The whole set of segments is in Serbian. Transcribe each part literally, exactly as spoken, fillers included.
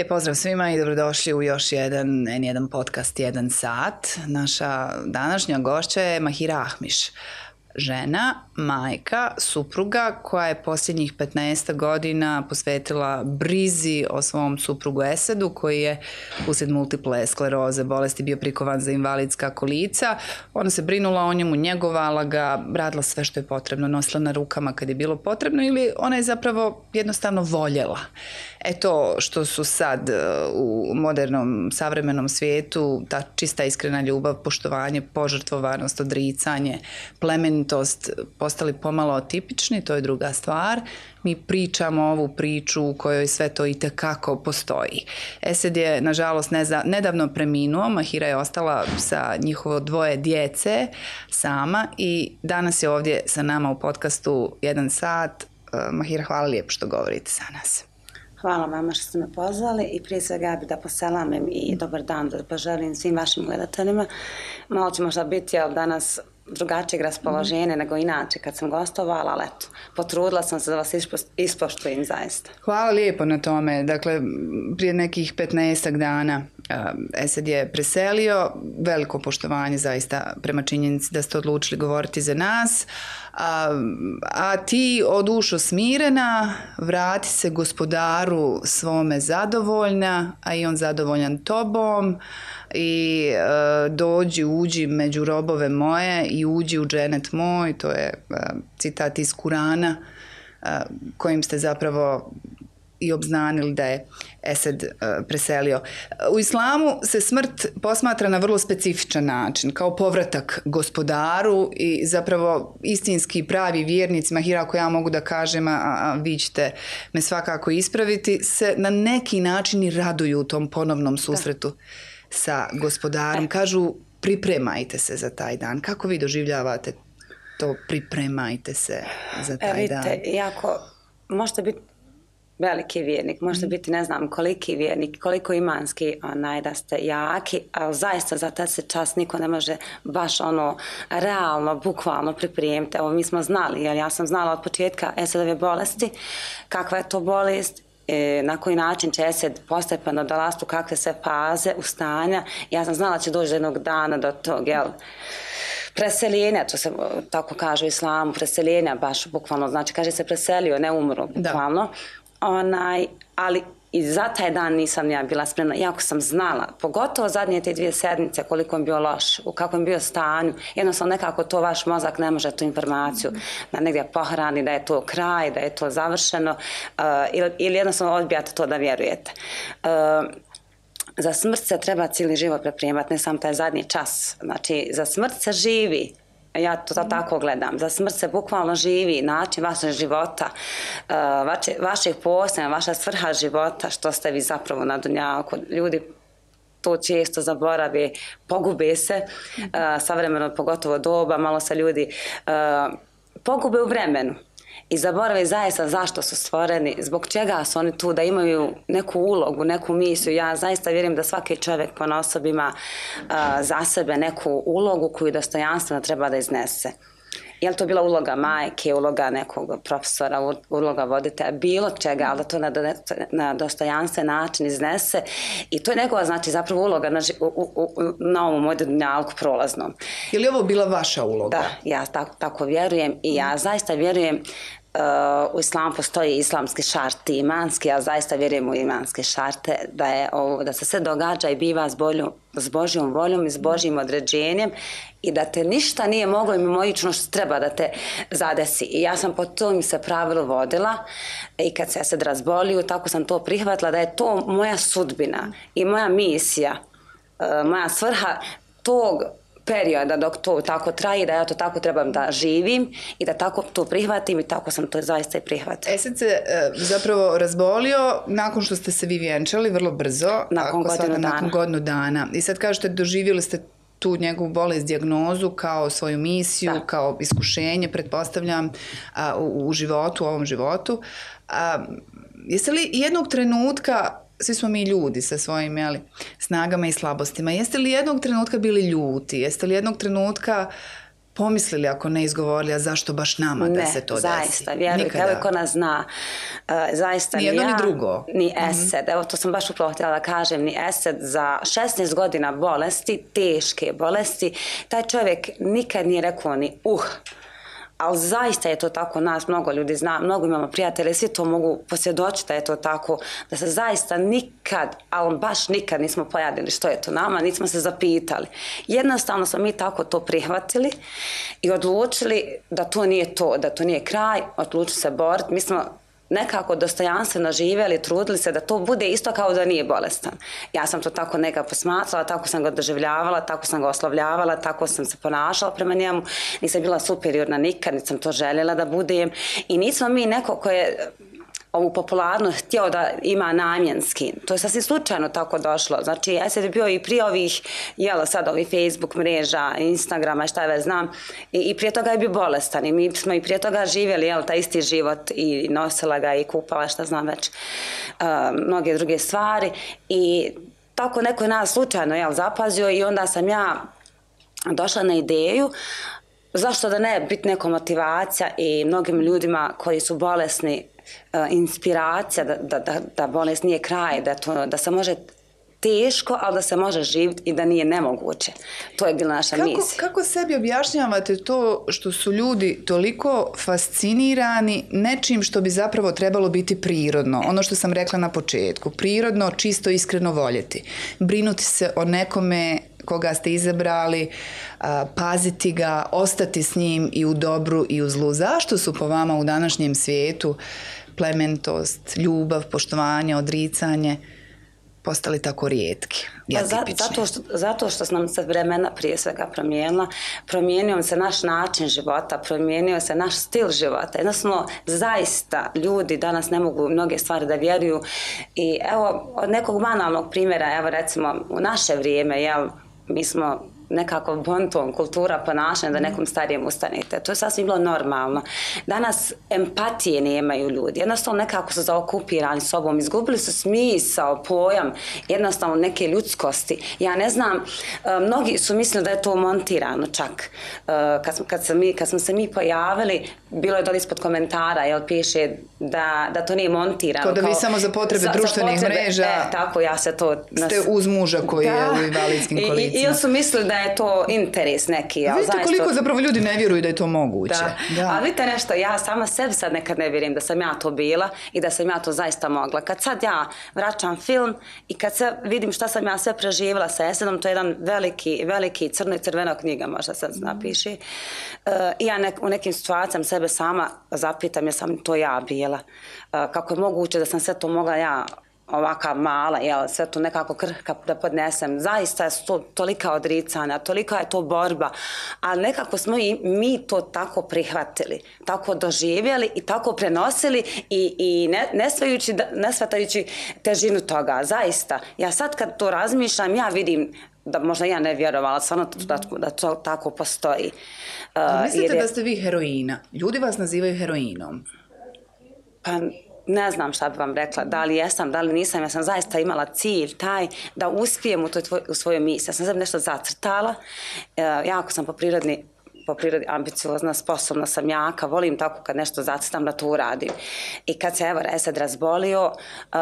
Lijep pozdrav svima i dobrodošli u još jedan en jedan podcast jedan sat. Naša današnja gošća je Mahira Ahmiš. Žena, majka, supruga koja je posljednjih petnaest godina posvetila brizi o svom suprugu Esedu koji je uslijed multiple skleroze bolesti bio prikovan za invalidska kolica. Ona se brinula o njemu, njegovala ga, radila sve što je potrebno, nosila na rukama kad je bilo potrebno ili ona je zapravo jednostavno voljela. E to što su sad u modernom, savremenom svijetu, ta čista iskrena ljubav, poštovanje, požrtvovanost, odricanje, plemenitost postali pomalo tipični, to je druga stvar. Mi pričamo ovu priču u kojoj sve to itekako postoji. Esed je, nažalost, neza, nedavno preminuo, Mahira je ostala sa njihovo dvoje djece sama i danas je ovdje sa nama u podcastu jedan sat. Mahira, hvala lijepo što govorite sa nas. Hvala vama što ste me pozvali i prije svega ja bih da poselamim i dobar dan da poželim svim vašim gledateljima. Malo će možda biti jel, danas drugačijeg raspoloženja mm-hmm. nego inače kad sam gostovala, ali eto, potrudila sam se da vas ispoštujem zaista. Hvala lijepo na tome. Dakle, prije nekih petnaestak dana Esed je preselio, veliko poštovanje zaista prema činjenici da ste odlučili govoriti za nas, a, a ti o dušo smirena, vrati se gospodaru svome zadovoljna, a i on zadovoljan tobom i e, dođi, uđi među robove moje i uđi u dženet moj, to je e, citat iz Kurana e, kojim ste zapravo i obznanili da je Esed uh, preselio. U islamu se smrt posmatra na vrlo specifičan način, kao povratak gospodaru i zapravo istinski pravi vjernici, Mahira, ako ja mogu da kažem, a, a vi ćete me svakako ispraviti, se na neki način i raduju u tom ponovnom susretu da. sa gospodarom. Kažu, pripremajte se za taj dan. Kako vi doživljavate to pripremajte se za taj e, vidite, dan? Jako, možete biti veliki vjernik, možete biti ne znam koliki vjernik, koliko imanski onaj, da ste jaki, ali zaista za taj se čas niko ne može baš ono realno, bukvalno pripremiti. Evo mi smo znali, jer ja sam znala od početka Esedove bolesti, kakva je to bolest, e, na koji način će Esed postepeno dolaziti u kakve sve faze, ustanja. Ja sam znala da će doći jednog dana do tog, jel, preseljenja, to se tako kaže u islamu, preseljenja baš bukvalno, znači kaže se preselio, ne umro bukvalno. Da. Onaj, ali i za taj dan nisam ja bila spremna, iako sam znala, pogotovo zadnje te dvije sedmice koliko je bio loš, u kakvom je bio stanju, jednostavno nekako to vaš mozak ne može tu informaciju da negdje pohrani, da je to kraj, da je to završeno uh, ili, ili jednostavno odbijate to da vjerujete. Uh, za smrt se treba cijeli život pripremati, ne samo taj zadnji čas, znači za smrt se živi. Ja to tako gledam. Za smrt se bukvalno živi način vašeg života, vaše, vaših postojanja, vaša svrha života, što ste vi zapravo na dunjaku. Ljudi to često zaborave, pogube se, savremeno pogotovo doba, malo se ljudi pogube u vremenu. I zaborave zaista zašto su stvoreni, zbog čega su oni tu, da imaju neku ulogu, neku misiju. Ja zaista vjerujem da svaki čovjek ponaosob ima uh, za sebe neku ulogu koju dostojanstveno treba da iznese. Je li to bila uloga majke, uloga nekog profesora, uloga voditelja, bilo čega, ali da to na, na dostojanstven način iznese. I to je njegova, znači, zapravo uloga na, u, u, na ovom modernjalku prolaznom. Je li ovo bila vaša uloga? Da, ja tako, tako vjerujem i ja zaista vjerujem. Uh, u islamu postoji islamski šarti, imanski, ja zaista vjerujem u imanske šarte, da, je ovo, da se sve događa i biva s, bolju, s Božjom voljom i s Božjim određenjem i da te ništa nije moglo mimoično što treba da te zadesi. I ja sam po tom se pravilu vodila i kad se Esed razbolio, tako sam to prihvatila da je to moja sudbina i moja misija, uh, moja svrha tog perioda dok to tako traje, da ja to tako trebam da živim i da tako to prihvatim i tako sam to zaista i prihvatila. Esed se e, zapravo razbolio nakon što ste se vi vjenčali vrlo brzo. Nakon godinu dana. Nakon godinu dana. I sad kažete, doživjeli ste tu njegovu bolest, dijagnozu kao svoju misiju, da. Kao iskušenje, pretpostavljam, a, u, u životu, u ovom životu. A, jeste li jednog trenutka, svi smo mi ljudi sa svojim jeli, snagama i slabostima, jeste li jednog trenutka bili ljuti? Jeste li jednog trenutka pomislili ako ne izgovorili, a zašto baš nama ne, da se to zaista, desi? Zaista, vjeruj, evo ko nas zna. Uh, zaista ni jedno ni ja, ni drugo. Ni esed, mm-hmm. evo to sam baš upravo htjela da kažem, ni esed za šesnaest godina bolesti, teške bolesti, taj čovjek nikad nije rekao ni uh, ali zaista je to tako, nas mnogo ljudi zna, mnogo imamo prijatelje, svi to mogu posvjedočiti da je to tako, da se zaista nikad, ali baš nikad nismo pojadili što je to nama, nismo se zapitali. Jednostavno smo mi tako to prihvatili i odlučili da to nije to, da to nije kraj, odlučili se boriti. Mi smo nekako dostojanstveno živjeli, trudili se da to bude isto kao da nije bolestan. Ja sam to tako nekako posmatrala, tako sam ga doživljavala, tako sam ga oslovljavala, tako sam se ponašala prema njemu. Nisam bila superiorna nikad, nisam to željela da budem. I nismo mi neko ko je ovu popularnost htio da ima namjenski. To je sasvim slučajno tako došlo. Znači, ja sam bio i prije ovih, jela sad ovih Facebook mreža, Instagrama, šta je već znam, i, i prije toga je bio bolestan i mi smo i prije toga živjeli, jel, taj isti život i nosila ga i kupala, šta znam već, uh, mnoge druge stvari i tako neko je nas slučajno, jel, zapazio i onda sam ja došla na ideju zašto da ne biti neka motivacija i mnogim ljudima koji su bolesni inspiracija da, da, da, da bolest nije kraj, da, to, da se može teško, ali da se može živjeti i da nije nemoguće. To je bila naša kako, misija. Kako sebi objašnjavate to što su ljudi toliko fascinirani nečim što bi zapravo trebalo biti prirodno? Ono što sam rekla na početku. Prirodno, čisto, iskreno voljeti. Brinuti se o nekome koga ste izabrali, paziti ga, ostati s njim i u dobru i u zlu. Zašto su po vama u današnjem svijetu plemenitost, ljubav, poštovanje, odricanje postali tako rijetki i atipični? Zato što, zato što nam se vremena prije svega promijenila, promijenio se naš način života, promijenio se naš stil života. Jednostavno, zaista ljudi danas ne mogu mnoge stvari da vjeruju i evo, od nekog banalnog primjera, evo recimo u naše vrijeme, jel, mi smo nekako bonton, kultura ponašanja da nekom starijem ustanete. To je sasvim bilo normalno. Danas empatije nemaju ljudi. Jednostavno nekako su zaokupirani sobom. Izgubili su smisao, pojam, jednostavno neke ljudskosti. Ja ne znam, mnogi su mislili da je to montirano čak. Kad smo, kad sam mi, kad smo se mi pojavili, bilo je dole ispod komentara, jel, piše da, da to nije montirano. To da vi kao, samo za potrebe za, društvenih za potrebe, mreža e, tako ja se to... Nas, ste uz muža koji da, je u invalidskim kolicima. I, ili su mislili da je to interes neki. Ja, vidite zaista, koliko zapravo ljudi ne vjeruju da je to moguće. Da. Da. Ali vidite nešto, ja sama sebi sad nekad ne vjerujem da sam ja to bila i da sam ja to zaista mogla. Kad sad ja vraćam film i kad se vidim šta sam ja sve preživjela sa Esedom, to je jedan veliki, veliki crno i crvena knjiga, možda sad napiši. Uh, I ja nek, u nekim situacijama sebe sama zapitam, ja sam to ja bila. Uh, kako je moguće da sam sve to mogla ja ovaka mala, jel, sve to nekako krhka da podnesem. Zaista je to tolika odricanja, tolika je to borba, ali nekako smo i mi to tako prihvatili, tako doživjeli i tako prenosili i, i ne, nesvajući, nesvatajući težinu toga. Zaista, ja sad kad to razmišljam, ja vidim da možda ja ne vjerovala, stvarno da, da to tako postoji. Uh, mislite je, da ste vi heroina? Ljudi vas nazivaju heroinom. Pa ne znam šta bi vam rekla, da li jesam, da li nisam, ja sam zaista imala cilj taj da uspijem u, toj tvoj, u svojoj misiji. Ja sam sebi nešto zacrtala, e, jako sam po prirodi, po prirodi ambiciozna, sposobna sam jaka, volim tako kad nešto zacrtam da to uradim. I kad se evo Esed razbolio, uh,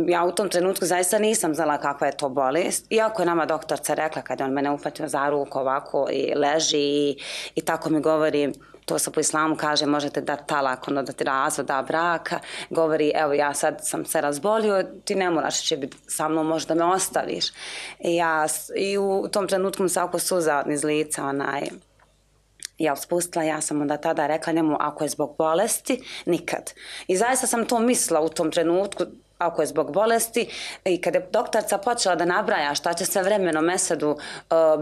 ja u tom trenutku zaista nisam znala kakva je to bolest, iako je nama doktorca rekla kad je on mene upatio za ruku ovako i leži i, i tako mi govori, to se po islamu kaže, možete dati talak, ono da ti razvoda braka, govori, evo ja sad sam se razbolio, ti ne moraš će biti sa mnom, možda me ostaviš. I, ja, i u tom trenutku mi se oko suza iz lica, onaj, ja spustila, ja sam onda tada rekla njemu, ako je zbog bolesti, nikad. I zaista sam to mislila u tom trenutku, ako je zbog bolesti, i kada je doktorca počela da nabraja šta će sve vremenom Esedu uh,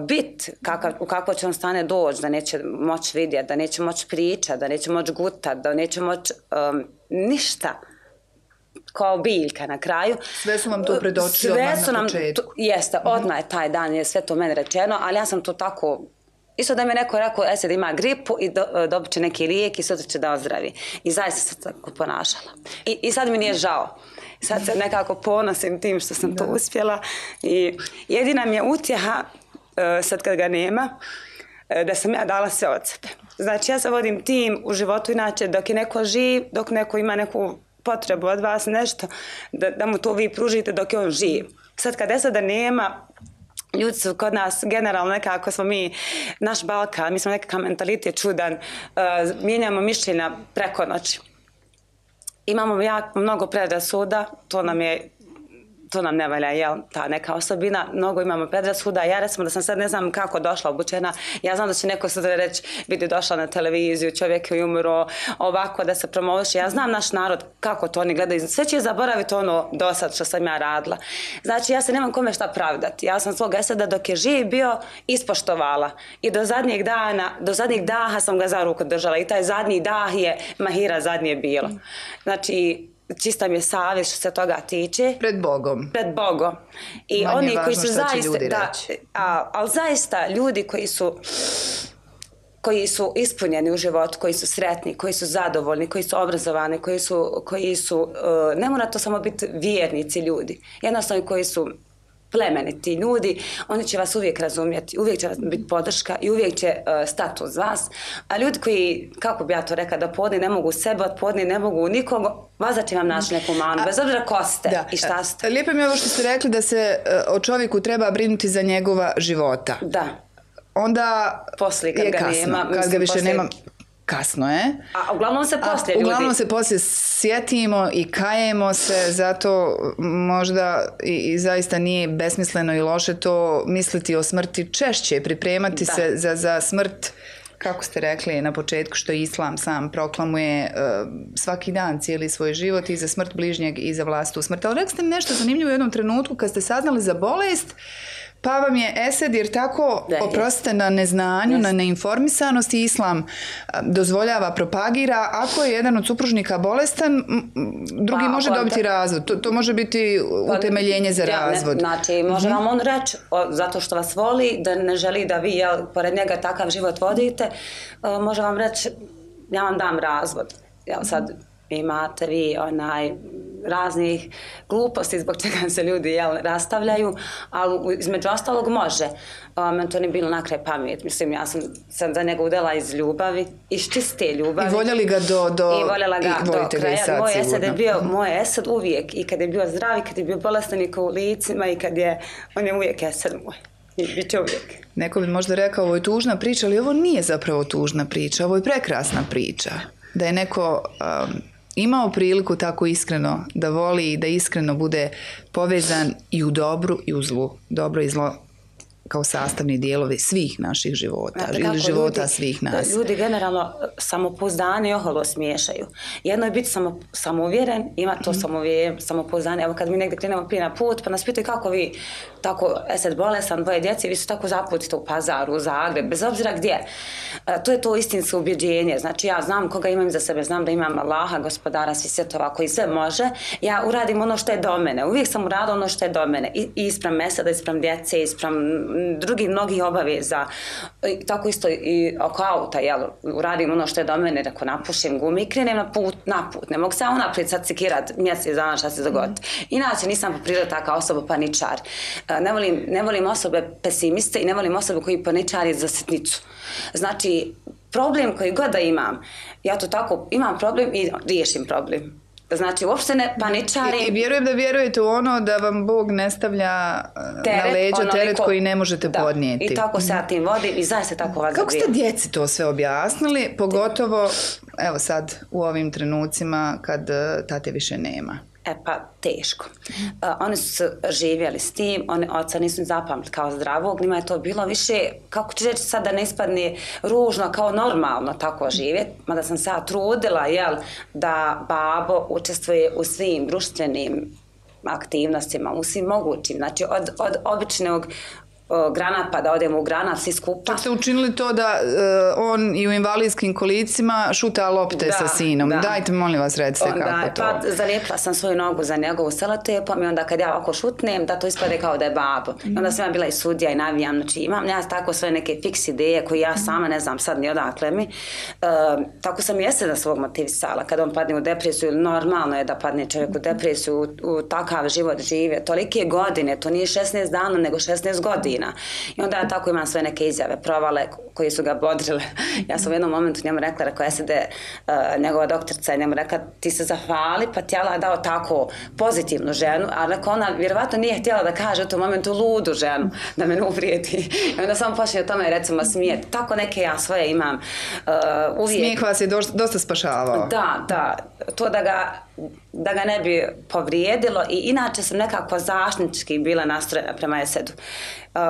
biti, u kakvo će on stane doći, da neće moći vidjeti, da neće moći pričati, da neće moći gutati, da neće moći um, ništa, kao biljka na kraju. Sve su vam to predočili odmah na početku. To, jeste, odmah je taj dan, je sve to meni rečeno, ali ja sam to tako... Isto da mi je neko rekao, Esed ima gripu i do, dobit će neki lijek i sutra će da ozdravi. I zaista sam tako ponašala. I, i sad mi nije žao. Sad se nekako ponosim tim što sam da. to uspjela. I jedina mi je utjeha, sad kad ga nema, da sam ja dala sve od sebe. Znači ja se vodim tim u životu inače dok je neko živ, dok neko ima neku potrebu od vas nešto, da, da mu to vi pružite dok je on živ. Sad kad Eseda nema, ljudi su kod nas generalno nekako smo mi, naš Balkan, mi smo nekakav mentalitet čudan, uh, mijenjamo mišljenja preko noći. Imamo jako mnogo predrasuda, to nam je to nam ne valja, jel, ta neka osobina, mnogo imamo predrasuda, ja recimo da sam sad ne znam kako došla obučena, ja znam da će neko sutra reći, vidi došla na televiziju, čovjek je umro, ovako da se promoviše, ja znam naš narod kako to oni gledaju, sve će zaboraviti ono do sad što sam ja radila. Znači ja se nemam kome šta pravdati, ja sam svog Eseda dok je živ bio ispoštovala i do zadnjeg dana, do zadnjeg daha sam ga za ruku držala i taj zadnji dah je Mahira zadnje bilo. Znači, čista mi je savjest što se toga tiče. Pred Bogom. Pred Bogom. I manje oni važno koji su zaista, da, a, ali zaista ljudi koji su koji su ispunjeni u životu, koji su sretni, koji su zadovoljni, koji su obrazovani, koji su, koji su uh, ne mora to samo biti vjernici ljudi, jednostavno koji su plemeniti ljudi, oni će vas uvijek razumjeti, uvijek će vas biti podrška i uvijek će uh, stati uz vas. A ljudi koji, kako bi ja to rekla, da podni ne mogu sebe, od podni ne mogu nikog, vaza će vam naći neku manu, bez obzira ko ste da, i šta ste. Lijepo mi je ovo što ste rekli da se uh, o čovjeku treba brinuti za njegova života. Da. Onda poslije kad je ga kasno, nema, kad mislim, ga više poslije... nema. Kasno je. A uglavnom se poslije ljudi... Uglavnom se poslije sjetimo i kajemo se, zato možda i, i zaista nije besmisleno i loše to misliti o smrti češće, pripremati da. se za, za smrt, kako ste rekli na početku, što Islam sam proklamuje uh, svaki dan cijeli svoj život i za smrt bližnjeg i za vlastitu smrt. Ali rekli ste mi nešto zanimljivo u jednom trenutku kad ste saznali za bolest, pa vam je Esed, jer tako, oprostite na neznanju, yes. na neinformisanosti, Islam dozvoljava, propagira, ako je jedan od supružnika bolestan, drugi pa, može dobiti te... razvod. To, to može biti utemeljenje za ja, razvod. Ne, znači, može mm-hmm. vam on reći, o, zato što vas voli, da ne želi da vi, jel, pored njega takav život vodite, o, može vam reći, ja vam dam razvod. Jel, sad imate vi onaj... raznih gluposti zbog čega se ljudi jel, rastavljaju, ali između ostalog može. Um, to nije bilo na kraj pamet. Mislim, ja sam, sam za njega udala iz ljubavi, iz čiste ljubavi. I voljeli ga do, do, i voljela ga i do kraja. Sad, moj Esed je bio, moj Esed uvijek, i kad je bio zdrav, i kad je bio bolestan i u licima, i kad je, on je uvijek Esed moj. I bit će uvijek. Neko bi možda rekao, ovo je tužna priča, ali ovo nije zapravo tužna priča, ovo je prekrasna priča. Da je neko... Um, imao priliku tako iskreno da voli i da iskreno bude povezan i u dobru i u zlu. Dobro i zlo kao sastavni dijelovi svih naših života, Znate, ili života ljudi, svih nas. Ljudi generalno samopouzdanje i oholo smiješaju. Jedno je biti samo, samouvjeren, ima to mm. samouvjeren, samopouzdanje. Evo kad mi negdje krenemo prije na put, pa nas pitaju kako vi, tako Esed bolesan, dvoje djece, vi su tako zaputite u Pazaru, u Zagreb, bez obzira gdje. E, to je to istinsko ubjeđenje. Znači ja znam koga imam za sebe, znam da imam Allaha, gospodara svih svjetova koji sve može. Ja uradim ono što je do mene. Uvijek sam uradila ono što je do mene. I, i ispram Eseda, ispram djece, ispram drugih mnogih obaveza, tako isto i oko auta, jel, uradim ono što je do mene, ako napušim gumi i krenem na put, na put, ne mogu se unaprijed sad sekirat mjesec dana šta se dogodi. Mm. Inače nisam po prirodi taka osoba paničar. Ne volim, ne volim osobe pesimiste i ne volim osobe koji paničari za sitnicu. Znači, problem koji god da imam, ja to tako, imam problem i riješim problem. Znači, uopšte ne paničarim. I, i vjerujem da vjerujete u ono da vam Bog ne stavlja teret, na leđa onoliko, teret koji ne možete da, podnijeti. I tako se ja tim vodim i zaista tako vas Kako ste djeci to sve objasnili, pogotovo evo sad u ovim trenucima kad tate više nema? E pa, teško. Uh, oni su živjeli s tim, oni oca nisu zapamtili kao zdravog, njima je to bilo više, kako ću reći sad da ne ispadne ružno, kao normalno tako živjeti, mada sam se ja trudila, jel, da babo učestvuje u svim društvenim aktivnostima, u svim mogućim, znači od, od običnog granat pa da odemo u granat svi skupa. Čak ste učinili to da uh, on i u invalidskim kolicima šuta lopte da, sa sinom. Da. Dajte, molim vas, recite onda, kako to. Pa zalijepila sam svoju nogu za njegovu selotepom i onda kad ja ovako šutnem, da to ispade kao da je babo. Mm. I onda sam ja bila i sudija i navijam. Znači imam ja tako svoje neke fiks ideje koje ja sama ne znam sad ni odakle mi. Uh, tako sam i Eseda svog motivisala. Kad on padne u depresiju, normalno je da padne čovjek u depresiju, u, u takav život žive. Tolike godine, to nije šesnaest dana, nego šesnaest godina. godina. I onda ja tako imam sve neke izjave, provale koje su ga bodrile. Ja sam u jednom momentu njemu rekla, rekao S D, uh, njegova doktorica je njemu rekla, ti se zahvali, pa ti Allah dao tako pozitivnu ženu, a rekao ona vjerovatno nije htjela da kaže u tom momentu ludu ženu, da me ne uvrijedi. I onda sam počne o tome recimo smijeti. Tako neke ja svoje imam uh, uvijek. Smijeh vas je dosta spašavao. Da, da. To da ga da ga ne bi povrijedilo i inače sam nekako zaštitnički bila nastrojena prema Esedu. Uh,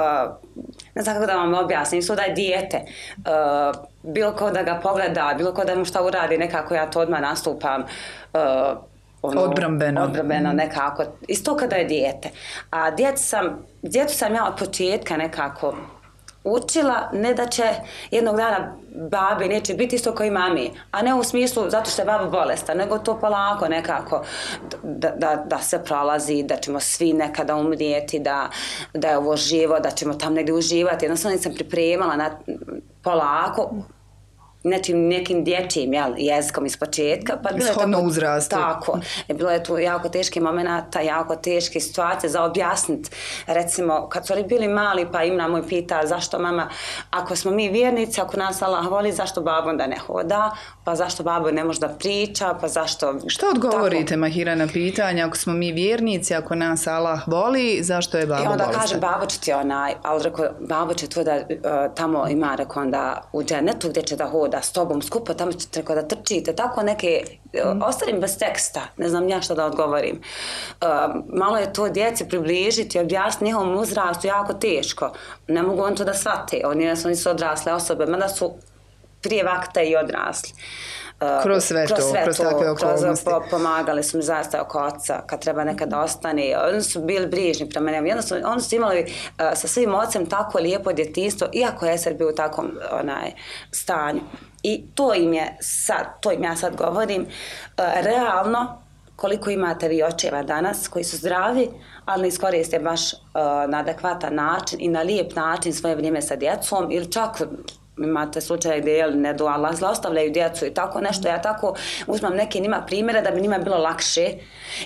ne znam kako da vam objasnim, su da je dijete. Uh, bilo ko da ga pogleda, bilo ko da mu šta uradi, nekako ja to odmah nastupam uh, ono, odbrambeno. Odbrambeno nekako. Isto kada je dijete. A djecu sam, djecu sam ja od početka nekako učila, ne da će jednog dana babi neće biti isto kao i mami, a ne u smislu zato što je baba bolesta, nego to polako nekako da, da, da se prolazi, da ćemo svi nekada umrijeti, da, da je ovo živo, da ćemo tam negdje uživati. Jednostavno sam pripremala na, polako, nečim nekim dječjim jel, jezikom iz početka. Pa bilo Shodno tako, uzrastu. Tako. Je bilo je tu jako teški momenata, jako teške situacije za objasniti. Recimo, kad su oni bili mali, pa Imra moj pita zašto mama, ako smo mi vjernici, ako nas Allah voli, zašto babo onda ne hoda, pa zašto babo ne može da priča, pa zašto... Što odgovorite, tako? Mahira, na pitanje, ako smo mi vjernici, ako nas Allah voli, zašto je babo bolestan? I onda kaže, babo će ti onaj, ali rekao, babo će to da uh, tamo ima, rekao onda u dženetu gdje će da hoda s tobom skupo, tamo ćete rekao da trčite, tako neke, mm. ostavim bez teksta, ne znam ja što da odgovorim. Uh, malo je to djeci približiti, objasniti njihovom uzrastu jako teško. Ne mogu on to da shvate, oni su nisu odrasle osobe, mada su prije vakta i odrasli. Uh, kroz sve kroz to, sve kroz to, takve okolnosti. Kroz, pomagali su mi zaista oko oca, kad treba nekad ostane. Oni su bili brižni prema njemu. Jednostavno, oni su imali uh, sa svim ocem tako lijepo djetinjstvo, iako je sad bio u takvom onaj, stanju. I to im je sad, to im ja sad govorim, uh, realno koliko imate vi očeva danas koji su zdravi, ali ne iskoriste baš uh, na adekvatan način i na lijep način svoje vrijeme sa djecom ili čak imate slučaje gdje jel, ne do Allah zlostavljaju djecu i tako nešto. Ja tako uzmam neke njima primjere da bi njima bilo lakše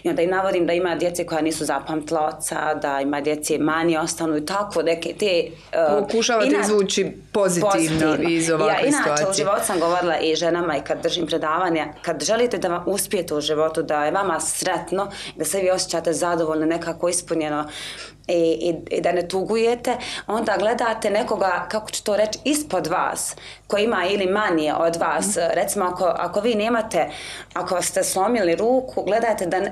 i onda i navodim da ima djece koja nisu zapamtila oca, da ima djece manje ostanu i tako neke te... Uh, Pokušavate inač, izvući pozitivno, pozitivno iz ovakve ja, inače, situacije. U životu sam govorila i ženama i kad držim predavanja, kad želite da vam uspijete u životu, da je vama sretno, da se vi osjećate zadovoljno, nekako ispunjeno, I, i, i da ne tugujete, onda gledate nekoga, kako ću to reći, ispod vas, koji ima ili manje od vas. Mm. Recimo, ako, ako vi nemate, ako ste slomili ruku, gledajte da uh,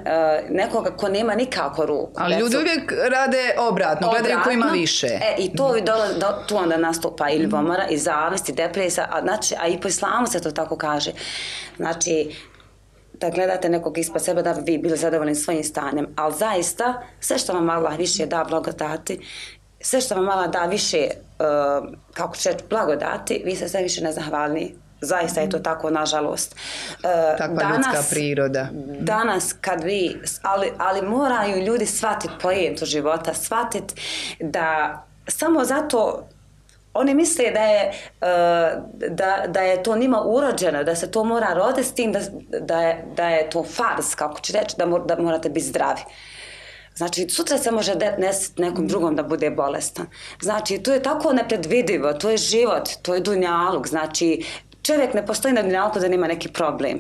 nekoga ko nema nikako ruku. Ali ljudi su, uvijek rade obratno, gledaju ko ima više. E, I to mm. dola, do, tu onda nastupa i ljubomora, mm. i zavist, i depresija, a, znači, a i po islamu se to tako kaže. Znači, da gledate nekog ispod sebe da bi vi bili zadovoljni svojim stanjem. Ali zaista, sve što vam Allah više da blagodati, sve što vam Allah da više, uh, kako će blagodati, vi ste sve više nezahvalni. Zaista je to tako, nažalost. Uh, Takva danas, ljudska priroda. Danas kad vi, ali, ali moraju ljudi shvatiti pojentu života, shvatiti da samo zato oni misle da je, da, da je to njima urođeno, da se to mora roditi s tim, da, da, je, da je to fars, kako ću reći, da, mor, da morate biti zdravi. Znači, sutra se može desiti nekom drugom da bude bolestan. Znači, to je tako nepredvidivo, to je život, to je dunjaluk. Znači, čovjek ne postoji na dunjalku da nema neki problem,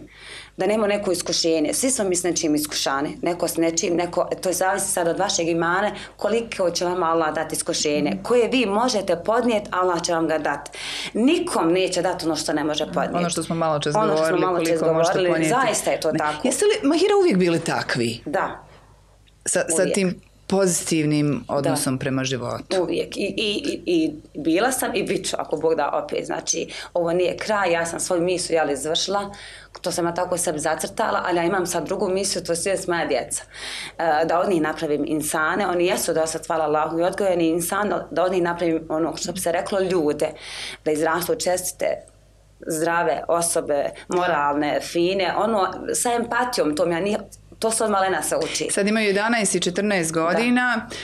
da nema neko iskušenje. Svi smo mi s nečim iskušani, neko s nečim, neko, to je zavisi sad od vašeg imana, koliko će vam Allah dati iskušenje, koje vi možete podnijeti, Allah će vam ga dati. Nikom neće dati ono što ne može podnijeti. Ono što smo malo čas ono govorili, malo koliko govorili, možete podnijeti. Zaista je to tako. Jeste li, Mahira, uvijek bili takvi? Da. Sa, sa tim pozitivnim odnosom da. Prema životu. Uvijek. I, i, i, i bila sam i bit ću, ako Bog da opet. Znači, ovo nije kraj, ja sam svoju misiju jel, izvršila, to sam ja tako sebi zacrtala, ali ja imam sad drugu misiju, to je svijest moja djeca. E, da od njih napravim insane, oni jesu da sad hvala Allahu i odgojeni insan, da od njih napravim ono što bi se reklo ljude, da izrastu čestite, zdrave osobe, moralne, fine, ono, sa empatijom, to mi ja nije, to se od malena se uči. Sad imaju jedanaest i četrnaest godina, da.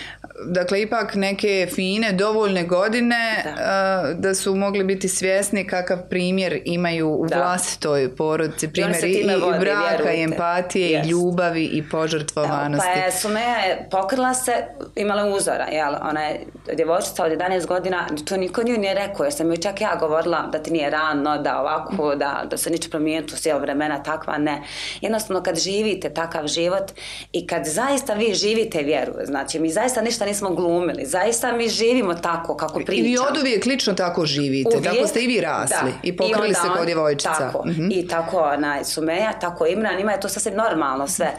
Dakle ipak neke fine, dovoljne godine da. Uh, da su mogli biti svjesni kakav primjer imaju u da. vlastitoj porodici, primjer i, i braka, vjerujte. I empatije, yes. i ljubavi i požrtvovanosti. Da, pa je Sumeja je pokrila se, imala uzora, jel? Ona je djevojčica od jedanaest godina, to niko nju nije rekao, jer sam joj čak ja govorila da ti nije rano, da ovako, da, da se niče promijeniti u cijelo vremena, takva ne. Jednostavno kad živite takav život i kad zaista vi živite vjeru, znači mi zaista ništa nismo glumili, zaista mi živimo tako kako pričamo. I vi od uvijek lično tako živite, uvijek, tako ste i vi rasli da. I pokrili se kao djevojčica. Tako, mm-hmm. i tako ona, Sumeja, tako Imran, ima je to sasvim normalno sve.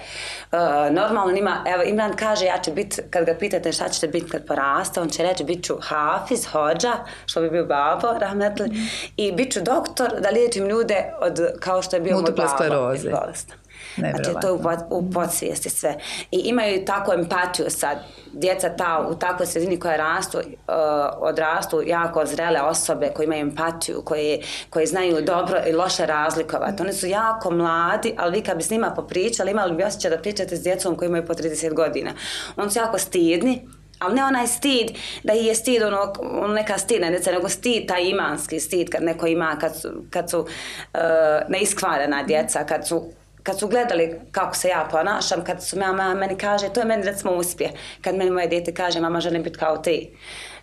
Uh, normalno ima, evo Imran kaže ja ću biti, kad ga pitate šta ćete biti kad poraste, on će reći bit ću hafiz, hođa, što bi bio babo, rahmetli, mm-hmm. i bit ću doktor da liječim ljude od, kao što je bio moj babo, bolest. Znači to je u podsvijesti sve. I imaju tako empatiju sad. Djeca ta, u takvoj sredini koja rastu, uh, odrastu jako zrele osobe koje imaju empatiju, koje, koje znaju dobro i loše razlikovati. Oni su jako mladi, ali vi kad bi s njima popričali, imali bi osjećaj da pričate s djecom koji imaju po trideset godina. Oni su jako stidni, ali ne onaj stid da ih je stid ono, ono neka stidna djeca, nego stid, taj imanski stid kad neko ima, kad su, kad su uh, neiskvarena djeca, kad su kad su gledali kako se ja ponašam, kad su mama meni kaže, to je meni recimo uspjeh, kad meni moje dijete kaže, mama želim biti kao ti.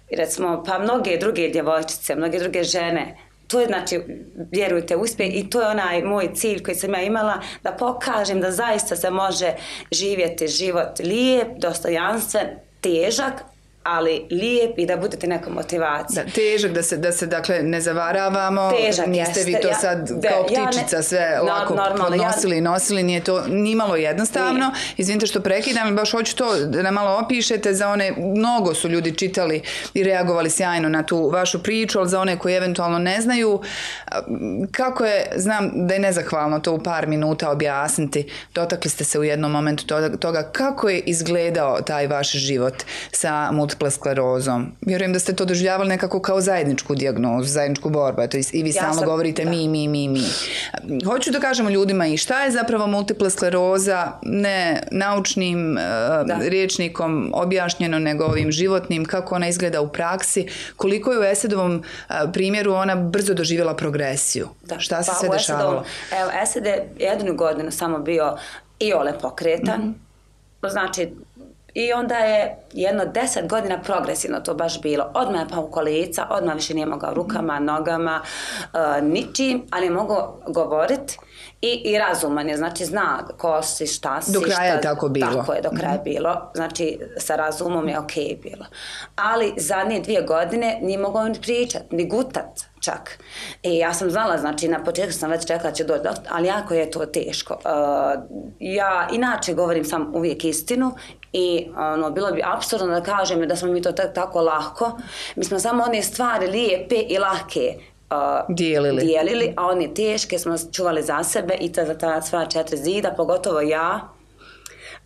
I recimo, pa mnoge druge djevojčice, mnoge druge žene, to je znači, vjerujte, uspjeh i to je onaj moj cilj koji sam ja imala, da pokažem da zaista se može živjeti život lijep, dostojanstven, težak, ali lijep i da budete neka motivacija. Da, težak, da se, da se dakle ne zavaravamo, težak, niste jeste, vi to ja, sad da, kao ptičica ja ne, sve lako podnosili i ja, nosili, nije to nimalo jednostavno. Nije. Izvinite što prekidam, baš hoću to da nam malo opišete za one, mnogo su ljudi čitali i reagovali sjajno na tu vašu priču, ali za one koji eventualno ne znaju, kako je, znam da je nezahvalno to u par minuta objasniti, dotakli ste se u jednom momentu toga, kako je izgledao taj vaš život sa multiple sklerozom. Vjerujem da ste to doživljavali nekako kao zajedničku dijagnozu, zajedničku borbu. To i vi ja stalno sam, govorite da. mi, mi, mi, mi. Hoću da kažemo ljudima i šta je zapravo multiple skleroza, ne naučnim da. uh, rječnikom objašnjeno, nego ovim životnim, kako ona izgleda u praksi, koliko je u Esedovom uh, primjeru ona brzo doživjela progresiju. Da. Šta se pa, sve dešavalo? Evo, Esed je jednu godinu samo bio i ole pokretan. Mm-hmm. Znači, i onda je jedno deset godina progresivno to baš bilo. Odmah je pao u kolica, odmah više nije mogao rukama, nogama, uh, ničim, ali je mogao govoriti i, i razuman je, znači zna ko si, šta si. Do kraja šta, je tako bilo. Tako je, do kraja mm-hmm. bilo. Znači sa razumom je okej okay bilo. Ali zadnje dvije godine nije mogao ni pričati, ni gutat čak. I ja sam znala, znači na početku sam već čekala da će doći, ali jako je to teško. Uh, ja inače govorim sam uvijek istinu i ono, bilo bi apsurdno da kažem da smo mi to t- tako lahko. Mi smo samo one stvari lijepe i lahke uh, dijelili. dijelili, a one teške smo čuvali za sebe i ta, za ta sva četiri zida, pogotovo ja.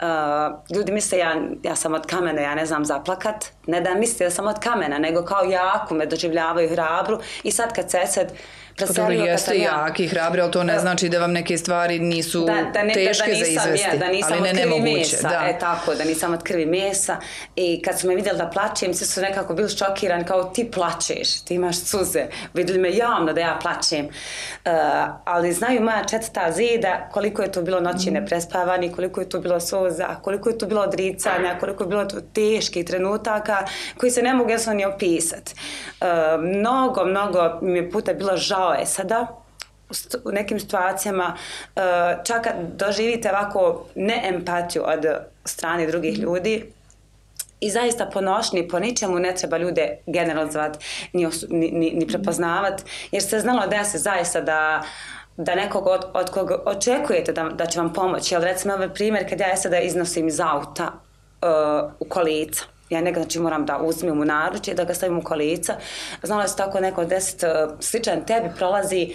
Uh, ljudi misle ja, ja sam od kamena, ja ne znam zaplakat, ne da misle da sam od kamena, nego kao jaku me doživljavaju hrabru i sad kad se Esed preselio, pa jeste jaki i hrabri, ali to ne znači da vam neke stvari nisu da, da ne, teške da, da nisam, za izvesti, ja, da nisam ali ne nemoguće. Mesa, da. E tako, da nisam od krvi mesa i kad su me vidjeli da plačem, svi su nekako bili šokirani kao ti plačeš, ti imaš suze, vidjeli me javno da ja plačem, uh, ali znaju moja četvrta zida koliko je to bilo noći mm. neprespavani, koliko je to bilo suza, koliko je to bilo odricanja, koliko je bilo to teških trenutaka koji se ne mogu jasno ni opisati. Uh, mnogo, mnogo mi je puta bilo žao je sada u nekim situacijama čak kad doživite ovako neempatiju od strane drugih ljudi i zaista ponošni, po ničemu ne treba ljude generalizovati ni, ni, ni, ni prepoznavati, jer se znalo da se zaista da da nekog od, od koga očekujete da, da će vam pomoći. Jel, recimo ovaj primjer kad ja sada iznosim iz auta uh, u kolica. Ja nekad znači moram da uzmem u naručje, da ga stavim u kolica. Znala se tako neko deset uh, sličan tebi prolazi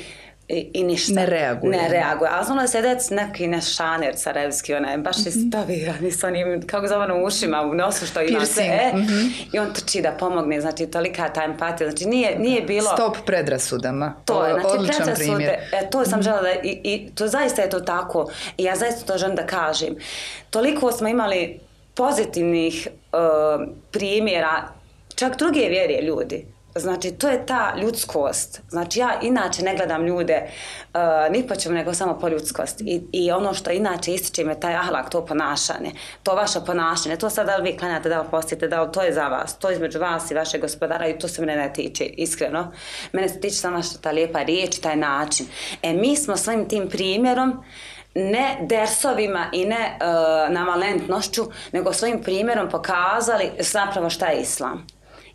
I, i ništa. Ne reaguje. Ne reaguje. Ali znala se dec neki naš šaner carevski, onaj, baš je stavirani s onim, kako zove ono, ušima u nosu što ima sve. E, mm-hmm. I on trči da pomogne, znači tolika ta empatija. Znači nije, nije bilo... Stop predrasudama. To je, znači odličan predrasude, primjer. E, to sam mm-hmm. žela da, i, i to zaista je to tako. I ja zaista to želim da kažem. Toliko smo imali pozitivnih uh, primjera, čak druge vjerje ljudi. Znači, to je ta ljudskost. Znači, ja inače ne gledam ljude uh, ni po čemu, nego samo po ljudskosti. I, I ono što inače ističe me taj ahlak, to ponašanje, to vaše ponašanje, to sad da li vi klanjate, da li postite, da li to je za vas, to je između vas i vašeg gospodara i to se mene ne tiče, iskreno. Mene se tiče samo što ta lijepa riječ, taj način. E, mi smo svojim tim primjerom ne dersovima i ne uh, navalentnošću, nego svojim primjerom pokazali zapravo šta je islam.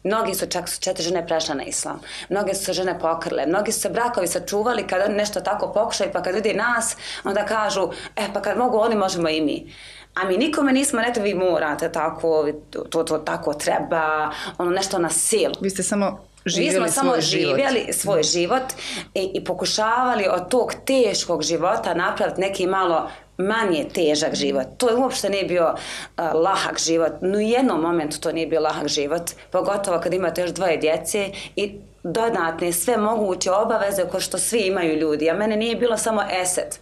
Mnogi su, čak su četiri žene prešle na islam. Mnoge su se žene pokrle. Mnogi su se brakovi sačuvali kada nešto tako pokušaju, pa kad vidi nas, onda kažu, e pa kad mogu oni, možemo i mi. A mi nikome nismo rekli, vi morate tako, to, to tako treba, ono nešto na silu. Vi ste samo živjeli Mi smo samo svoj život. živjeli svoj život i, i pokušavali od tog teškog života napraviti neki malo manje težak život. To uopšte nije bio uh, lahak život. No u jednom momentu to nije bio lahak život. Pogotovo kad imate još dvoje djece i dodatne sve moguće obaveze koje što svi imaju ljudi. A mene nije bilo samo esed.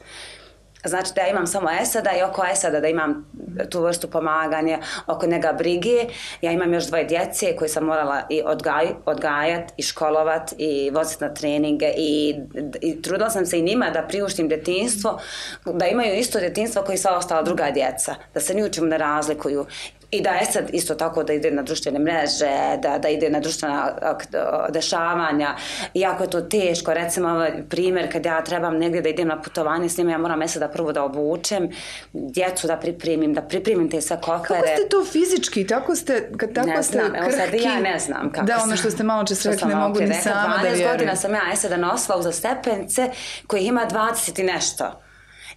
Znači da ja imam samo eseda i oko eseda da imam tu vrstu pomaganja, oko njega brige. Ja imam još dvoje djece koje sam morala i odgaj, odgajati i školovati i voziti na treninge i, i trudila sam se i njima da priuštim djetinjstvo, da imaju isto djetinjstvo koji sva ostala druga djeca, da se ni u čemu ne razlikuju. I da je sad isto tako da ide na društvene mreže, da, da ide na društvena dešavanja. Iako je to teško, recimo ovaj primjer kad ja trebam negdje da idem na putovanje s njima, ja moram mjesto da prvo da obučem, djecu da pripremim, da pripremim te sve kokare. Kako ste to fizički? Tako ste, kad tako ne ste znam, krhki? Evo sad ja ne znam kako Da, ono što ste malo čas rekli, ne mogu ni sama da vjerujem. dvanaest godina sam ja eseda nosila uza stepence koji ima dvadeset i nešto.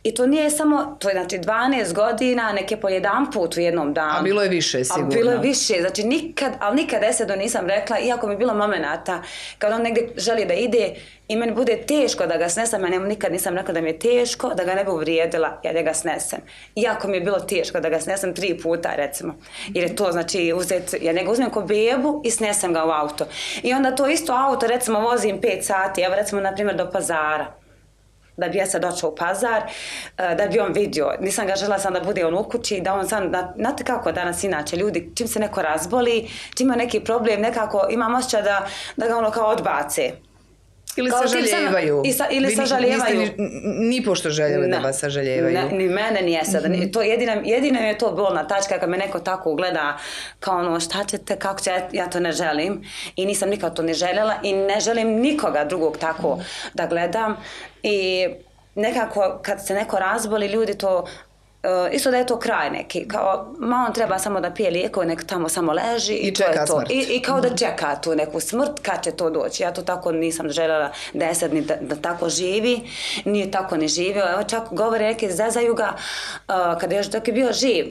I to nije samo, to je znači dvanaest godina, neke po jedan put u jednom danu. A bilo je više, sigurno. A bilo je više, znači nikad, ali nikad esedu nisam rekla, iako mi je bilo momenata, kad on negdje želi da ide i meni bude teško da ga snesem, ja nikad nisam rekla da mi je teško, da ga ne bi uvrijedila, ja da ga snesem. Iako mi je bilo teško da ga snesem tri puta, recimo. Jer je to, znači, uzet, ja njega uzmem ko bebu i snesem ga u auto. I onda to isto auto, recimo, vozim pet sati, evo recimo, na primjer, do Pazara. Da bi ja sad došao u Pazar, da bi on vidio. Nisam ga žela sam da bude on u kući, da on sam, znate kako danas inače ljudi, čim se neko razboli, čim ima neki problem, nekako imam osjećaj da, da ga ono kao odbace. Ili sažaljevaju. Sa, ili vi sažaljevaju. Niste ni, ni pošto željeli da vas sažaljevaju. Ne, ni mene nije sada. Mm-hmm. To jedina, jedina je to bolna tačka kad me neko tako ugleda kao ono šta ćete, kako će, ja to ne želim. I nisam nikad to ne željela i ne želim nikoga drugog tako mm-hmm. da gledam. I nekako kad se neko razboli, ljudi to Uh, isto da je to kraj neki, kao ma on treba samo da pije lijekove, nek tamo samo leži i, I to je to. Smrt. I, I kao da čeka tu neku smrt, kad će to doći. Ja to tako nisam željela da je sad ni da, da tako živi, nije tako ni živio. Evo čak govore neke zezaju ga uh, kada je još dok je bio živ.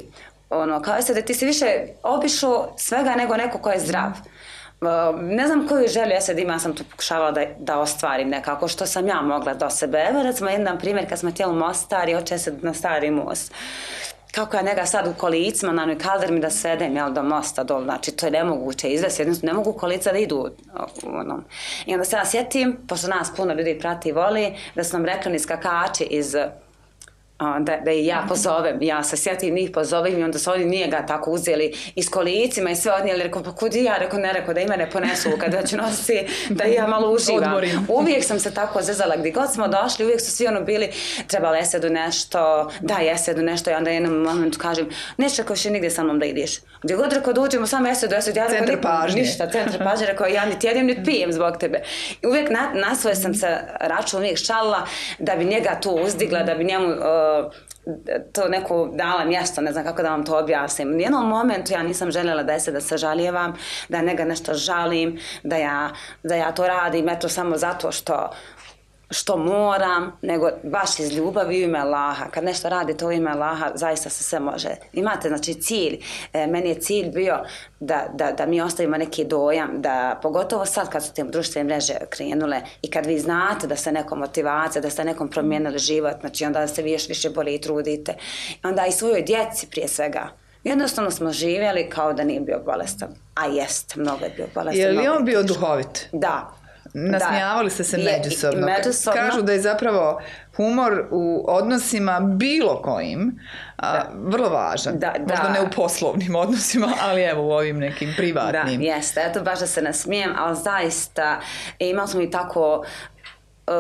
Ono, kao je sad da ti si više obišao svega nego neko ko je zdrav. Uh, ne znam koju želju ja sad imam, sam to pokušavala da, da ostvarim nekako što sam ja mogla do sebe. Evo recimo jedan primjer kad smo htjeli u Mostar i hoće se na Stari most. Kako ja njega sad u kolicima na onoj kaldermi da svedem jel, do mosta dol, znači to je nemoguće izvesti, jednostavno ne mogu kolica da idu. Ono. I onda se ja sjetim, pošto nas puno ljudi prati i voli, da su nam rekli skakači iz Da, da i ja pozovem, ja se sjetim njih pozovem i onda su oni nije ga tako uzeli i s kolicima i sve odnijeli, rekao pa kud ja, rekao ne, rekao da i mene ponesu kad već nosi, da ja malo uživam. Odmorim. Uvijek sam se tako zezala, gdje god smo došli, uvijek su svi ono bili, trebali esedu nešto, daj esedu nešto i onda jednom momentu kažem, neće rekao še nigdje sa mnom da ideš. Gdje god rekao da uđemo samo esedu, esedu, ja rekao pažnje. Ništa, centar pažnje, rekao ja niti jedem, niti pijem zbog tebe. I uvijek na, na svoje sam se račun uvijek šalila da bi njega tu uzdigla, da bi njemu uh, to neko dala mjesto, ne znam kako da vam to objasnim. U jednom momentu ja nisam željela da se da se žaljevam, da njega nešto žalim, da ja, da ja to radim, eto samo zato što što moram, nego baš iz ljubavi u ime Allaha. Kad nešto radite u ime Allaha, zaista se sve može. Imate, znači, cilj. E, meni je cilj bio da, da, da mi ostavimo neki dojam, da pogotovo sad kad su te društvene mreže krenule i kad vi znate da ste nekom motivacija, da ste nekom promijenili život, znači onda se vi još više bolje i trudite. Onda i svojoj djeci prije svega. Jednostavno smo živjeli kao da nije bio bolestan. A jest, mnogo je bio bolestan. Je li on bio duhovit? Da. Nasmijavali ste se međusobno. međusobno. Kažu da je zapravo humor u odnosima bilo kojim a, vrlo važan. Da, da. Možda ne u poslovnim odnosima, ali evo u ovim nekim privatnim. Da, jeste. Eto, baš da se nasmijem, ali zaista imali smo i tako Uh,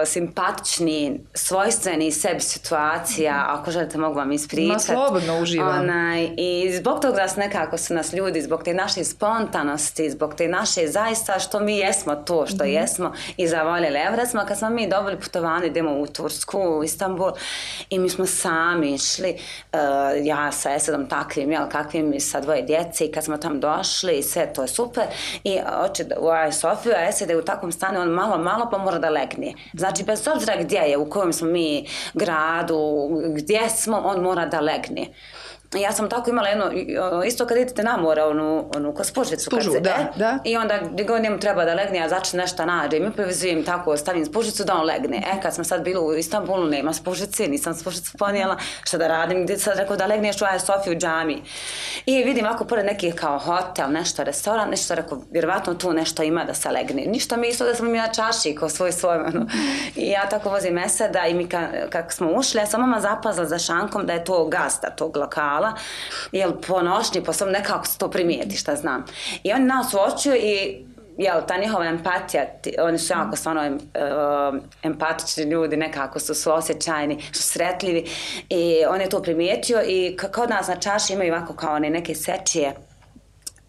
simpatični, svojstveni sebi situacija, ako želite mogu vam ispričati. Ma slobodno uživam. Onaj, i zbog toga nas nekako su nas ljudi, zbog te naše spontanosti, zbog te naše zaista što mi jesmo to što mm-hmm. jesmo i zavoljeli. Evo recimo kad smo mi dobili putovanje, idemo u Tursku, u Istanbul i mi smo sami išli, uh, ja sa Esedom takvim, jel, kakvim i sa dvoje djece i kad smo tam došli i sve to je super i oče u Aj Sofiju, a Esed je u takvom stanju, on malo, malo pa mora da legne. Znači, bez obzira gdje je, u kojem smo mi gradu, gdje smo, on mora da legne. Ja sam tako imala jedno, isto kad idete na more, onu, onu ko spužicu. Spužu, se, da, e, da. I onda gdje god njemu treba da legne, ja začne nešto nađe. Mi privizujem tako, stavim spužicu da on legne. E, kad smo sad bili u Istanbulu, nema spužice, nisam spužicu ponijela, šta da radim, gdje sad rekao da legneš u Aj Sofiju u džami. I vidim ovako pored nekih kao hotel, nešto, restoran, nešto rekao, vjerovatno tu nešto ima da se legne. Ništa mi isto da smo mi na čaši, ko svoj svoj, ono. I ja tako vozim Eseda i mi ka, kako smo ušli, ja sam mama zapazila za šankom da je to gazda tog lokala. Jel, po nošnji, po svom nekako se to primijeti, šta znam. I oni nas uočuju i jel, ta njihova empatija, oni su jako stvarno em, uh, empatični ljudi, nekako su suosjećajni, su sretljivi i on je to primijetio i kod nas na čaši imaju ovako kao one neke sečije,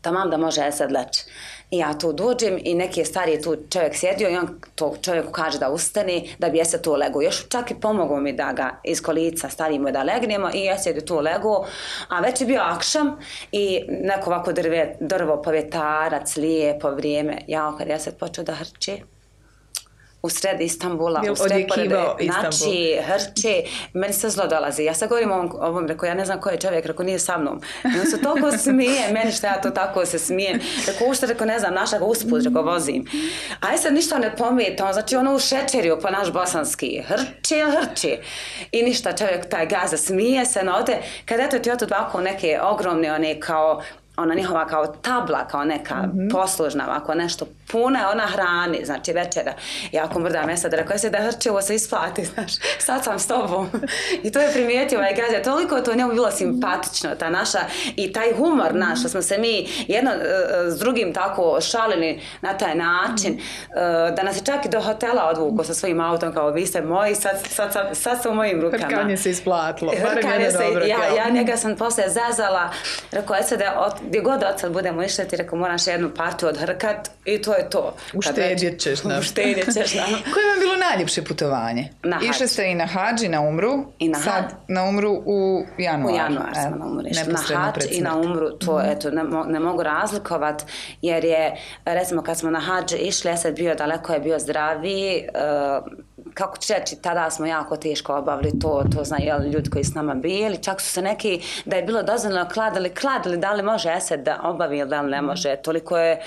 tamam da može Esed leći. I ja tu dođem i neki je stariji tu čovjek sjedio i on to čovjeku kaže da ustani, da bi Esed tu legao. Još čak i pomogao mi da ga iz kolica stavimo da legnemo i Esed je tu legao. A već je bio akšam i neko ovako drve, drvo povjetarac, lijepo vrijeme. Ja kad Esed počeo da hrči u sred Istanbula, Jel, u sred pored, Istanbul. znači hrče, meni se zlo dolazi. Ja sad govorim ovom, ovom, rekao, ja ne znam ko je čovjek, rekao, nije sa mnom. I on se toliko smije, meni što ja to tako se smijem. Rekao, ušte, rekao, ne znam, naša ga usput, rekao, vozim. A sad ništa ne pomijete, on, znači ono u šečerio po naš bosanski, hrče, hrče. I ništa, čovjek taj gaza smije se, no ode, kad eto ti oto ovako neke ogromne, one kao, ona njihova kao tabla, kao neka mm-hmm. poslužna, ovako nešto puna, ona hrani, znači večera. I ako mrda mesa da rekao, jesi da hrče, ovo se isplati, znaš, sad sam s tobom. I to je primijetio ovaj gazda, toliko to njemu bilo simpatično, ta naša, i taj humor naš, što smo se mi jedno uh, s drugim tako šalili na taj način, uh, da nas je čak i do hotela odvuko sa svojim autom, kao vi ste moji, sad, sad, sad, sad su u mojim rukama. Hrkanje se isplatilo, Hrkanje se, dobro, ja, ja njega sam poslije zazala, rekao, jesi da gdje god od sad budemo išli, ti rekao, moraš jednu partiju odhrkat i to je to. Uštedjet ćeš nam. Uštedjet ćeš nam. Koje vam je bilo najljepše putovanje? Na hađ. Išli ste i na hađ i na umru. I na sad hađ. na umru u januar. U januar smo na umru išli. Na hađ i na umru, to mm-hmm. eto, ne, ne mogu razlikovat, jer je, recimo kad smo na hađ išli, ja sad bio daleko, je bio zdraviji, uh, kako ću reći, tada smo jako teško obavili to, to znaju jel, ljudi koji s nama bili, čak su se neki, da je bilo dozvoljeno kladili, kladili, da li može Esed da obavi ili da li ne može, toliko je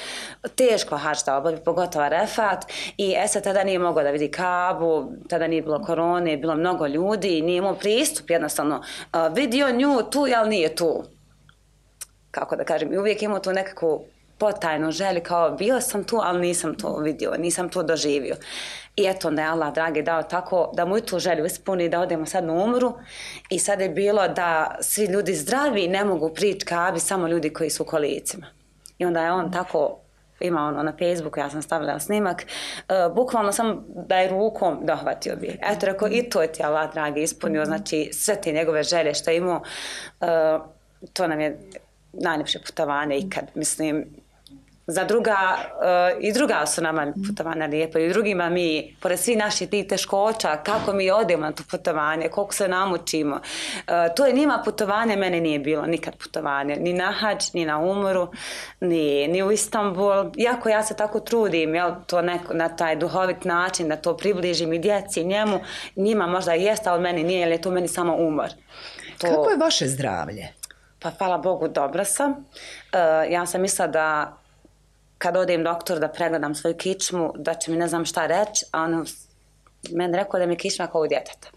teško hađ da obavi, pogotovo Refat, i Esed tada nije mogao da vidi Kabu, tada nije bilo korone, bilo mnogo ljudi, nije imao pristup, jednostavno, uh, vidio nju tu, jel nije tu, kako da kažem, i uvijek imao tu nekakvu potajnu želju, kao bio sam tu, ali nisam to vidio, nisam to doživio. I eto, onda je Allah, dragi, dao tako da mu i tu želju ispuni, da odemo sad na umru. I sad je bilo da svi ljudi zdravi ne mogu prići Kabi, samo ljudi koji su u kolicima. I onda je on tako, ima ono na Facebooku, ja sam stavila snimak, uh, bukvalno sam da je rukom dohvatio bi. Eto, rekao, i to je ti Allah, dragi, ispunio, znači sve te njegove želje što je imao, uh, to nam je najljepše putovanje ikad, mislim, za druga, uh, i druga su nama putovanja lijepa i drugima mi, pored svih naših tih teškoća, kako mi odemo na to putovanje, koliko se namučimo. Uh, to je njima putovanje, mene nije bilo nikad putovanje, ni na hadž, ni na umoru, ni, ni u Istanbul. Iako ja se tako trudim, jel, to neko, na taj duhovit način, da to približim i djeci, njemu, njima možda jeste, ali meni nije, jer je to meni samo umor. To... Kako je vaše zdravlje? Pa hvala Bogu, dobra sam. Uh, ja sam mislila da kad odem doktor da pregledam svoju kičmu, da će mi ne znam šta reći, a on meni rekao da mi je kičma kao u djeteta.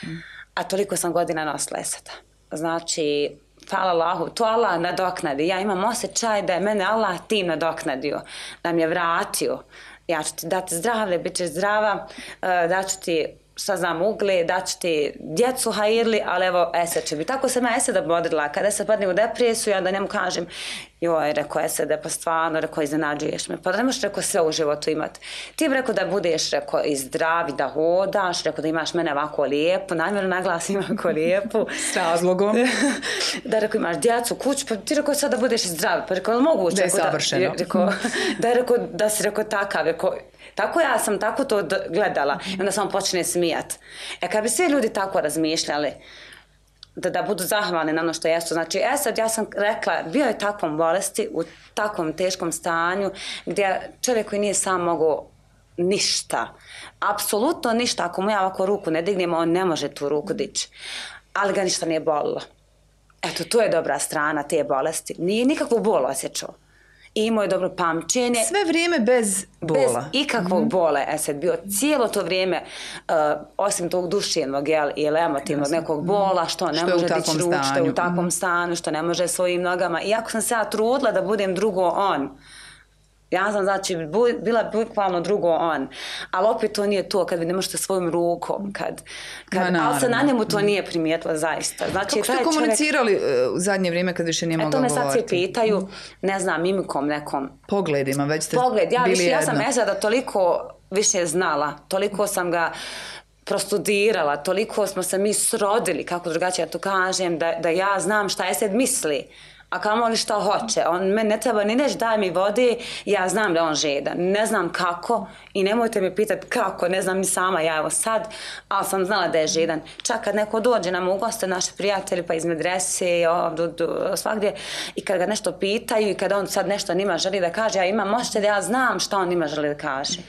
Mm. A toliko sam godina nosila eseta. Znači, hvala Allahu, to Allah nadoknadi. Ja imam osjećaj da je mene Allah tim nadoknadio, da mi je vratio. Ja ću ti dati zdravlje, bit ćeš zdrava, uh, da ću ti šta znam, ugle, da ću ti djecu hajirli, ali evo, Esed će biti. Tako sam ja Eseda bodrila. Kada se padnem u depresiju, ja da njemu kažem, joj, rekao Esede, pa stvarno, rekao, iznenađuješ me. Pa da ne možeš, rekao, sve u životu imati. Ti bi rekao da budeš, rekao, i zdravi, da hodaš, rekao da imaš mene ovako lijepo, namjerno naglasim ovako lijepo. S razlogom. Da, rekao, imaš djecu, kuću, pa ti rekao sad da budeš i zdravi. Pa rekao, moguće. Da je savršeno. Da, rekao, da, rekao, da si rekao takav, rekao, tako ja sam tako to gledala i onda sam počne smijat. E kad bi svi ljudi tako razmišljali, da, da budu zahvalni na ono što jesu. Znači, e sad ja sam rekla, bio je takvom bolesti, u takvom teškom stanju, gdje čovjek koji nije sam mogao ništa, apsolutno ništa, ako mu ja ovako ruku ne dignemo, on ne može tu ruku dići, ali ga ništa nije bolilo. Eto, to je dobra strana te bolesti. Nije nikakvu bol osjećao. I imao je dobro pamćenje. Sve vrijeme bez bola. Bez ikakvog mm-hmm. bola. E sad bio cijelo to vrijeme, uh, osim tog duševnog jel, ili emotivnog nekog bola, što ne što može dići ruč, što je u takvom mm-hmm. stanu, što ne može svojim nogama. Iako sam se ja trudila da budem drugo on. Ja sam znači bila bukvalno drugo on, ali opet to nije to kad vi ne možete svojom rukom, kad, kad, no, ali se na njemu to nije primijetilo zaista. Znači, kako ste komunicirali čovjek, u zadnje vrijeme kad više nije mogao govoriti? E to me sad svi pitaju, ne znam, mimikom nekom. Pogledima, već ste Pogled, ja, bili više, jedno. Ja sam Eseda toliko više znala, toliko sam ga prostudirala, toliko smo se mi srodili, kako drugačije ja to kažem, da, da ja znam šta Esed misli. A kamo li što hoće, on me ne treba ni reći daj mi vode, ja znam da on žedan, ne znam kako i nemojte mi pitati kako, ne znam ni sama ja evo sad, ali sam znala da je žedan. Čak kad neko dođe nam u goste, naši prijatelji pa iz medrese, ovdje, svakdje, i kad ga nešto pitaju i kad on sad nešto njima želi da kaže, ja imam možete da ja znam šta on njima želi da kaže.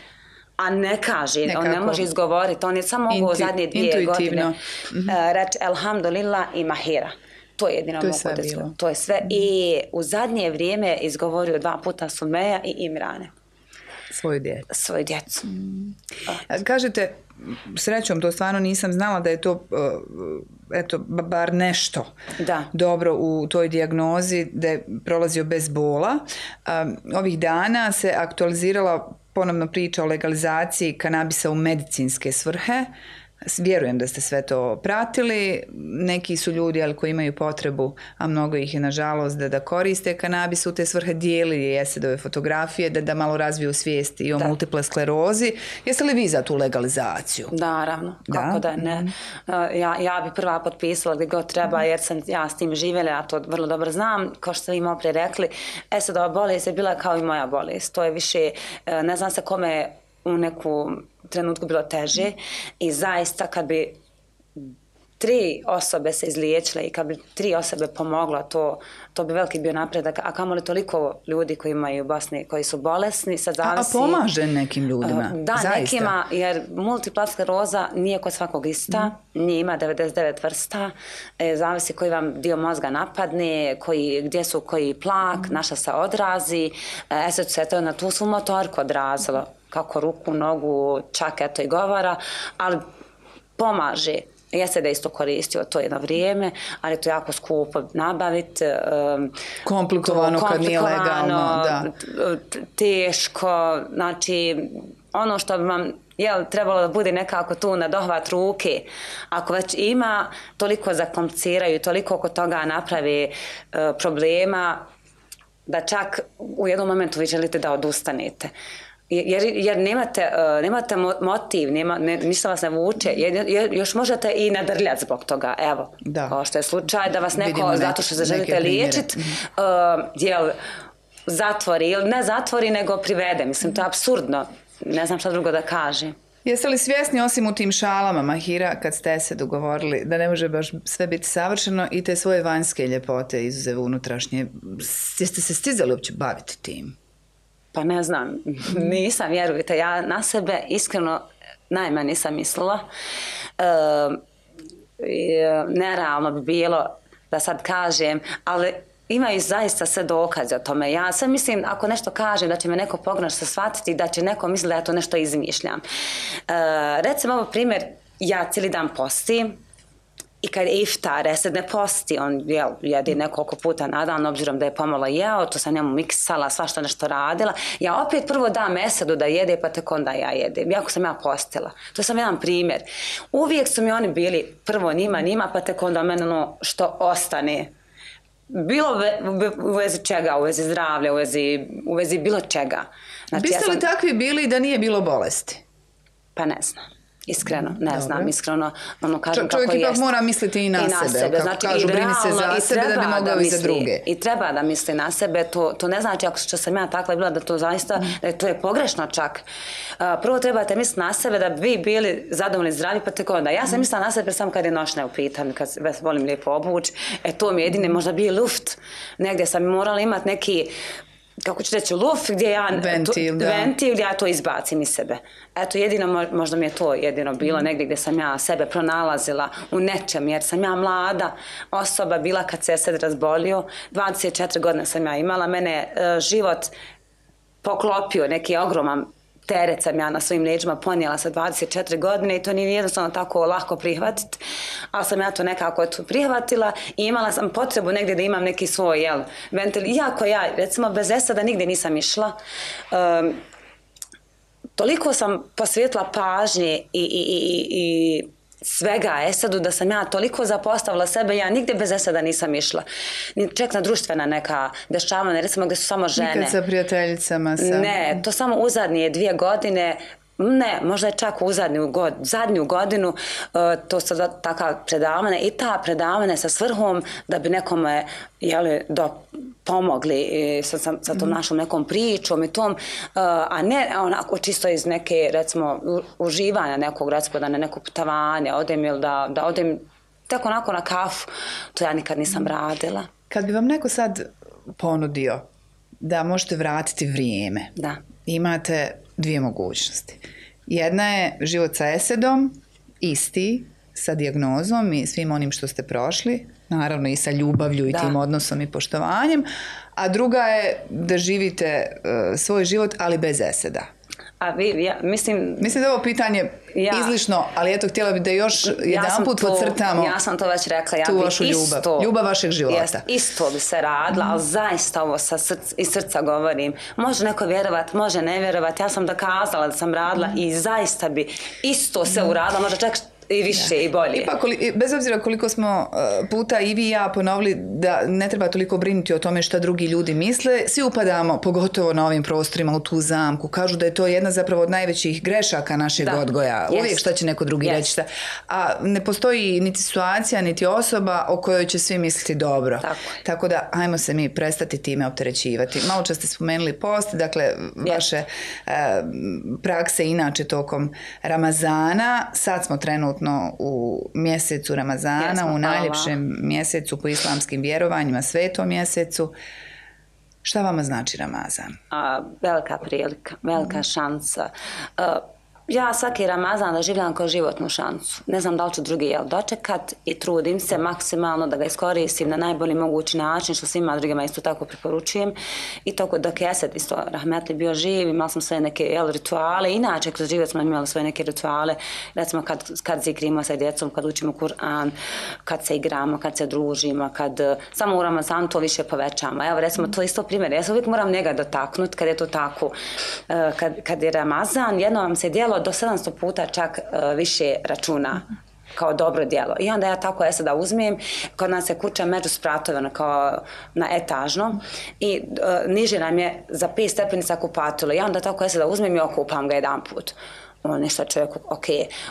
A ne kaže, nekako. On ne može izgovoriti, on je samo mogu Intu, zadnje dvije godine mm-hmm. reći elhamdulillah i mahira. To je jedino mogu da to je sve. I u zadnje vrijeme izgovorio dva puta Sumeja i Imrane. Svoju djecu. Svoju djecu. Mm. Kažete, srećom, to stvarno nisam znala da je to, eto, bar nešto da. dobro u toj dijagnozi, da je prolazio bez bola. Ovih dana se aktualizirala ponovno priča o legalizaciji kanabisa u medicinske svrhe. Vjerujem da ste sve to pratili. Neki su ljudi ali koji imaju potrebu, a mnogo ih je nažalost da, da koriste kanabis u te svrhe, dijeli Esedove fotografije da, da malo razviju svijest i o da. multiple sklerozi. Jeste li vi za tu legalizaciju? Naravno, kako da, da ne. Mm-hmm. Ja, ja bi prva potpisala gdje god treba jer sam ja s tim živjela, ja to vrlo dobro znam. Kao što ste vi malo prije rekli, Esedova bolest je bila kao i moja bolest. To je više, ne znam se kome u neku trenutku bilo teže i zaista kad bi tri osobe se izliječile i kad bi tri osobe pomoglo, to, to bi veliki bio napredak. A kamo li toliko ljudi koji imaju u Bosni, koji su bolesni, sad zavisi... A, a pomaže nekim ljudima? Da, zaista. Nekima, jer multipla skleroza nije kod svakog ista, mm. nije ima devedeset devet vrsta, e, zavisi koji vam dio mozga napadne, koji, gdje su koji plak, mm. naša se odrazi, e, sad se to na tu svu motorku odrazilo, kako ruku, nogu, čak eto i govora, ali pomaže. Jeste da je isto koristio to jedno vrijeme, ali to je jako skupo nabaviti. Um, komplikovano, to, komplikovano kad nije legalno. Da. Teško, znači ono što bi vam jel, trebalo da bude nekako tu na dohvat ruke. Ako već ima, toliko zakompliciraju, toliko oko toga napravi uh, problema, da čak u jednom momentu vi želite da odustanete. Jer, jer nemate, uh, nemate motiv, nema, ne, ništa vas ne vuče, jer, jer još možete i nadrljati zbog toga, evo, da. Kao što je slučaj da vas neko, zato što se želite liječiti, uh, jel, zatvori, ili ne zatvori, nego privede. Mislim, to je apsurdno. Ne znam šta drugo da kažem. Jeste li svjesni, osim u tim šalama, Mahira, kad ste se dogovorili da ne može baš sve biti savršeno i te svoje vanjske ljepote izuzev unutrašnje, jeste se stizali uopće baviti tim? Pa ne znam, nisam, vjerujte, ja na sebe iskreno najmanje nisam mislila. E, nerealno bi bilo da sad kažem, ali imaju zaista sve dokaze o tome. Ja sve mislim, ako nešto kažem, da će me neko pogrešno shvatiti, da će neko misliti da ja to nešto izmišljam. E, recimo, ovo primjer, ja cijeli dan postim i kad je iftar, Esed ne posti, on jel, jede nekoliko puta na dan, obzirom da je pomalo jeo, to sam njemu miksala, svašta nešto radila. Ja opet prvo dam Esedu da jede, pa tek onda ja jedem, jako sam ja postila. To sam jedan primjer. Uvijek su mi oni bili prvo njima, njima, pa tek onda meni ono što ostane. Bilo u vezi čega, u vezi zdravlja, u vezi, u vezi bilo čega. Znači, biste li ja sam... takvi bili da nije bilo bolesti? Pa ne znam. Iskreno, ne Dobre. znam, iskreno, ono kažem Čo, kako jest. Čovjek ipak mora misliti i na, I na sebe, sebe. Kako znači, kažu, brini se za sebe da bi mogao i za druge. I treba da misli na sebe, to, to ne znači ako što sam ja takva bila da to zaista, mm. da je to je pogrešno čak. Uh, prvo trebate misliti na sebe da bi vi bili zadovoljni zdravi, pa tako onda. Ja sam mm. mislila na sebe samo kad je noćna u pitanju, kad se volim lijepo obući, e to mi je jedine, možda bio luft, negdje sam morala imati neki, kako ću reći, luft gdje ja ventil, to, ventil ja to izbacim iz sebe. Eto, jedino, možda mi je to jedino bilo negdje gdje sam ja sebe pronalazila u nečem, jer sam ja mlada osoba bila kad se Esed razbolio, dvadeset četiri godine sam ja imala, mene uh, život poklopio, neki ogroman teret sam ja na svojim leđima ponijela sa dvadeset četiri godine i to nije jednostavno tako lako prihvatiti, ali sam ja to nekako to prihvatila i imala sam potrebu negdje da imam neki svoj jel, ventil. Iako ja, recimo, bez Eseda nigdje nisam išla, um, toliko sam posvetila pažnje i, i, i, i svega Esedu da sam ja toliko zapostavila sebe, ja nigdje bez Eseda nisam išla. Ček na društvena neka dešavanja, recimo gdje su samo žene. Nikad sa prijateljicama sam. Ne, to samo u zadnje dvije godine, ne, možda je čak u zadnju, god, zadnju godinu, uh, to su takva predavanja i ta predavanja sa svrhom da bi nekome jeli, do, pomogli i sa, sa, sa tom našom nekom pričom i tom, uh, a ne onako čisto iz neke, recimo, uživanja nekog, recimo da na neko putovanje odem ili da, da odem tek onako na kafu, to ja nikad nisam radila. Kad bi vam neko sad ponudio da možete vratiti vrijeme, da. Imate dvije mogućnosti. Jedna je život sa Esedom, isti, sa dijagnozom i svim onim što ste prošli, naravno i sa ljubavlju i da. Tim odnosom i poštovanjem, a druga je da živite uh, svoj život, ali bez Eseda. A vi, ja, mislim... Mislim da je ovo pitanje ja, izlišno, ali eto, htjela bih da još jedan put podcrtamo ja sam to već rekla, ja tu vašu ljubav, isto, ljubav vašeg života. Jest, isto bi se radila, mm. ali zaista ovo sa srca, iz srca govorim. Može neko vjerovat, može ne vjerovat, ja sam dokazala da sam radila mm. i zaista bi isto se mm. uradila, možda čak i više ja. I bolje. Ipak, bez obzira koliko smo puta i vi i ja ponovili da ne treba toliko brinuti o tome šta drugi ljudi misle, svi upadamo, pogotovo na ovim prostorima, u tu zamku. Kažu da je to jedna zapravo od najvećih grešaka našeg da. Odgoja. Yes. Uvijek šta će neko drugi yes. reći šta. A ne postoji niti situacija, niti osoba o kojoj će svi misliti dobro. Tako, Tako da, ajmo se mi prestati time opterećivati. Malo čas ste spomenuli post, dakle, yes. vaše uh, prakse inače tokom Ramazana. Sad smo trenutno u mjesecu Ramazana, Jasno, u najljepšem hvala. Mjesecu po islamskim vjerovanjima, svetom mjesecu. Šta vama znači Ramazan? A, velika prilika, velika mm. šansa. A, ja svaki Ramazan doživljam kao životnu šansu. Ne znam da li ću drugi jel dočekat i trudim se maksimalno da ga iskoristim na najbolji mogući način, što svima drugima isto tako preporučujem. I tako dok je Esed isto rahmetli bio živ, imali smo sve neke jel, rituale. Inače, kroz život smo imali svoje neke rituale. Recimo kad, kad zikrimo sa djecom, kad učimo Kur'an, kad se igramo, kad se družimo, kad samo u Ramazanu to više povećamo. Evo recimo to isto primjer. Ja se uvijek moram njega dotaknuti kad je to tako. Kad, kad je Ramazan, jedno vam se djelo do sedamsto puta čak uh, više računa kao dobro djelo. I onda ja tako Eseda uzmem, kod nas je kuća među spratove kao na etažnom i uh, niže nam je za pet stepenica kupatilo. I onda tako Eseda uzmem i okupam ga jedan put. O, nešto čovjeku, ok.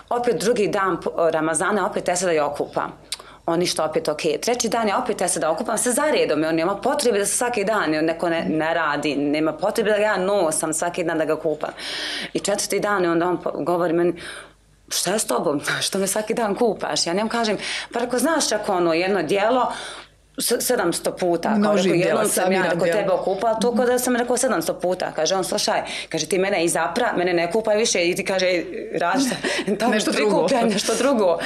Opet drugi dan Ramazana, opet Eseda i okupam. on ništa opet ok. Treći dan je opet ja se da okupam se zaredom i on nema potrebe da se svaki dan neko ne, ne radi, nema potrebe da ga ja nosam svaki dan da ga kupam. I četvrti dan i onda on govori meni, šta je s tobom, što me svaki dan kupaš? Ja njemu kažem, pa ako znaš ako ono jedno dijelo, sedamsto puta, kao rekao, jednom sam ja kod tebe okupala, to kod da sam rekao sedamsto puta, kaže on, slušaj, kaže ti mene i zapra, mene ne kupaj više i ti kaže, rašta, nešto drugo. nešto drugo.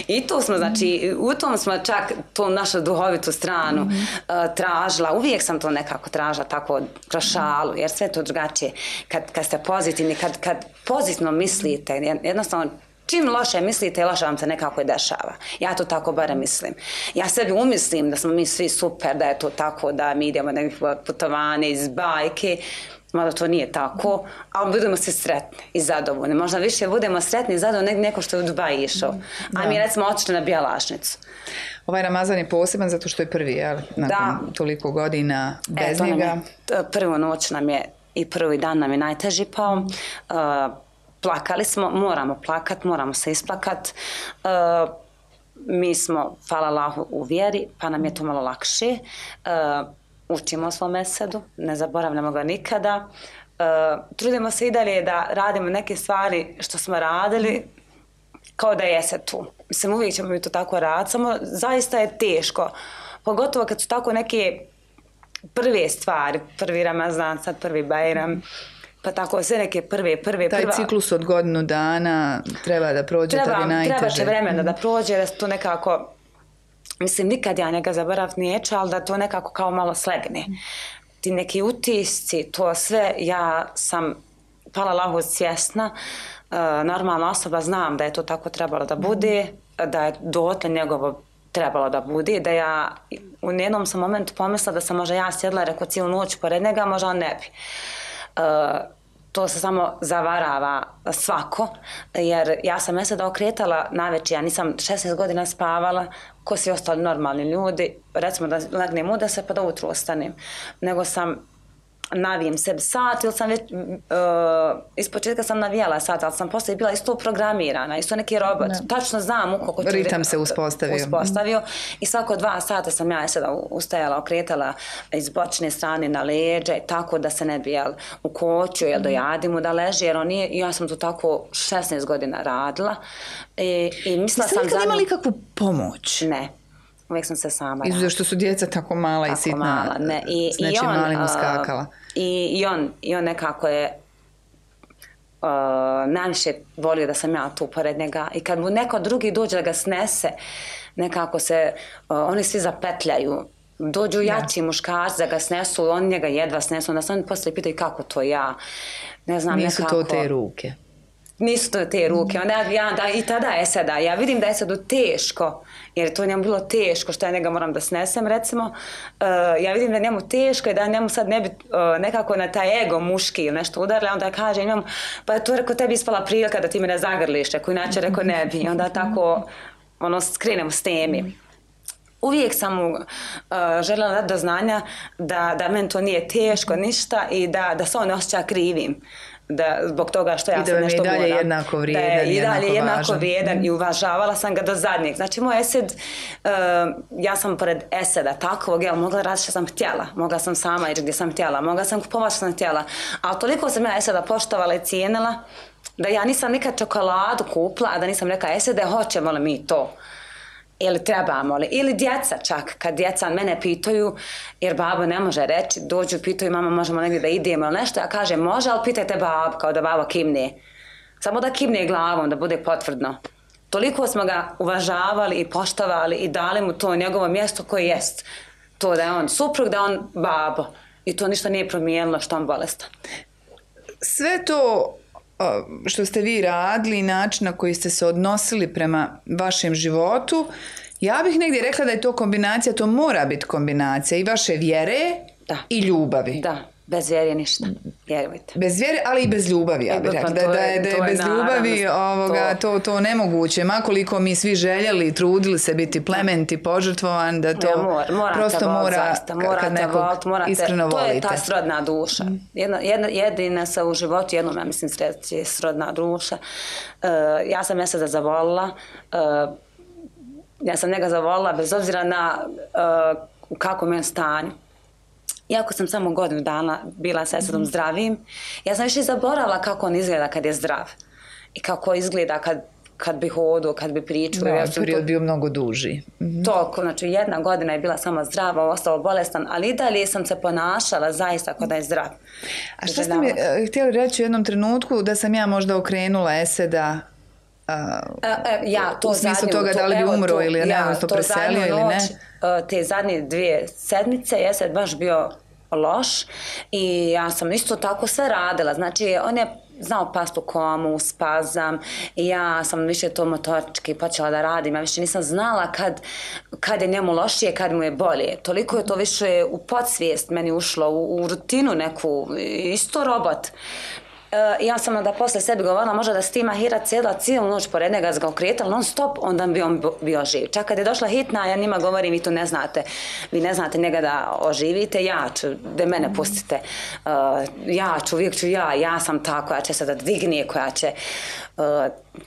I tu smo, znači, u tom smo čak tu našu duhovitu stranu mm-hmm. uh, tražila, uvijek sam to nekako tražila tako kroz šalu, jer sve to drugačije. Kad, kad ste pozitivni, kad, kad pozitivno mislite, jednostavno, čim loše mislite, loše vam se nekako i dešava. Ja to tako barem mislim. Ja sebi umislim da smo mi svi super, da je to tako, da mi idemo na nekakve putovanje iz bajke, mada to nije tako, ali budemo se sretni i zadovoljni. Možda više budemo sretni i zadovoljni nego neko što je u Dubai išao. Da. A mi recimo otišli na Bjelašnicu. Ovaj Ramazan je poseban zato što je prvi, jel? Nakon da. Toliko godina bez e, njega. Je, prvu noć nam je i prvi dan nam je najteži pao. Uh, Plakali smo, moramo plakat, moramo se isplakat. E, mi smo, hvala Allahu, u vjeri, pa nam je to malo lakše. E, učimo o svom mesedu, ne zaboravljamo ga nikada. E, trudimo se i dalje da radimo neke stvari što smo radili, kao da jese tu. Mislim, uvijek ćemo mi to tako raditi, samo zaista je teško. Pogotovo kad su tako neke prve stvari, prvi Ramazan, sad prvi Bajram, pa tako sve neke prve, prve, taj prva... Taj ciklus od godinu dana treba da prođe, treba, da bi najteže. Treba će vremena da prođe, da se to nekako, mislim, nikad ja njega zaboraviti neću, ali da to nekako kao malo slegne. Ti neki utisci, to sve, ja sam, hvala Allahu, svjesna, uh, normalna osoba, znam da je to tako trebalo da bude, da je dotle njegovo trebalo da bude, da ja u jednom sam momentu pomislila da sam možda ja sjedla, rekao cijelu noć pored njega, možda on ne bi. Uh, to se samo zavarava svako, jer ja sam mjesec da okretala navečer, ja nisam šesnaest godina spavala, ko svi ostali normalni ljudi, recimo da legnem u deset pa da ujutro ostanem, nego sam navijem sebi sat ili sam već, uh, iz početka sam navijala sat, ali sam poslije bila isto programirana, isto neki robot, ne. Tačno znam u koliko ću... Ritam se uspostavio. Uspostavio i svako dva sata sam ja sada ustajala, okretala iz bočne strane na leđe, tako da se ne bi jel, u koću, jel, dojadi mu da leži, jer on nije, ja sam to tako šesnaest godina radila i, i mislila sam... Jeste li imali kakvu pomoć? Ne. Uvijek sam se sama radila. Izuzev što su djeca tako mala tako i sitna, mala, ne. I, s nečim malim uskakala. I, i, on, I on nekako je uh, najviše volio da sam ja tu pored njega. I kad mu neko drugi dođe da ga snese, nekako se, uh, oni svi zapetljaju. Dođu jači ja. muškarci da ga snesu, oni njega jedva snesu. Onda se oni poslije pitaju kako to ja. Ne znam, nisu nekako... to te ruke. Nisu to te ruke. Onda ja, da, i tada je sada. Ja vidim da je sada teško, jer to njemu bilo teško što ja njega moram da snesem, recimo. Uh, ja vidim da je njemu teško i da njemu sad ne bi uh, nekako na taj ego muški ili nešto udarili. Onda kaže njemu, pa je to rekao tebi ispala prilika da ti me ne zagrliš, ako inače rekao ne bi. Onda tako ono, skrenemo s temi. Uvijek sam mu uh, željela dati do znanja da, da meni to nije teško ništa i da, da se on ne osjeća krivim. Da, zbog toga što ja sam nešto moram. I da je i dalje jednako vrijedan, da je i dalje jednako važan. vrijedan i uvažavala sam ga do zadnjeg. Znači moj Esed, uh, ja sam pored Eseda takvog, jel, mogla raditi što sam htjela. Mogla sam sama ići gdje sam htjela. Mogla sam kupovati što sam htjela. Ali toliko sam ja Eseda poštovala i cijenila da ja nisam nikad čokoladu kupila, a da nisam rekla Esede, hoćemo li mi to? Ili trebamo li, ili djeca čak, kad djeca mene pitaju, jer babo ne može reći, dođu, pitaju mama možemo negdje da idemo ili nešto, ja kažem može, ali pitajte babo, kao da babo kimne. Samo da kimne glavom, da bude potvrdno. Toliko smo ga uvažavali i poštovali i dali mu to njegovo mjesto koje jest. To da je on suprug, da je on babo. I to ništa nije promijenilo što on bolestan. Sve to što ste vi radili, način na koji ste se odnosili prema vašem životu, ja bih negdje rekla da je to kombinacija, to mora biti kombinacija i vaše vjere da. I ljubavi. Da, bez vjere ništa, vjerujte. Bez vjere, ali i bez ljubavi, ja bih rekla. Da, da je, da je bez ljubavi ovoga, to, to, to nemoguće. Makoliko mi svi željeli, trudili se biti plement i požrtvovan, da to ja, mora, prosto volit, mora, morate kad nekog volit, morate, iskreno to volite. To je ta srodna duša. Jedna, jedna, jedina se u životu, jednom, ja mislim, sreći je srodna duša. Uh, ja sam mjesec da zavolila, uh, ja sam njega zavolila bez obzira na uh, u kakvom je stanju. Iako sam samo godinu dana bila sa Esadom zdravim, ja sam više zaboravila kako on izgleda kad je zdrav. I kako izgleda kad, kad bi hodio, kad bi pričao. Da, ja period to, bio mnogo duži. Mm-hmm. Toliko, znači jedna godina je bila samo zdrava, ostao bolestan, ali i dalje sam se ponašala zaista kao da je zdrav. A što ste mi uh, htjeli reći u jednom trenutku da sam ja možda okrenula Eseda Uh, e, e, ja, to u smislu zadnju, toga da li bi umro to, ili ne, ja, odnosno preselio ili ne? Uh, te zadnje dvije sedmice je Esed baš bio loš i ja sam isto tako sve radila. Znači, on je znao past u komu, spazam i ja sam više to motorički počela da radim. Ja više nisam znala kad, kad je njemu lošije, kad mu je bolje. Toliko je to više u podsvijest meni ušlo, u, u rutinu neku, isto robot. Uh, ja sam onda posle sebi govorila možda da Stima Hira cijela cijelu noć pored njega ga okretala non stop, onda bi on bio živ. Čak kad je došla hitna, ja njima govorim, vi to ne znate, vi ne znate njega da oživite, ja ću, da mene pustite, uh, ja ću, uvijek ću ja, ja sam ta koja će se da dvignije, koja će uh,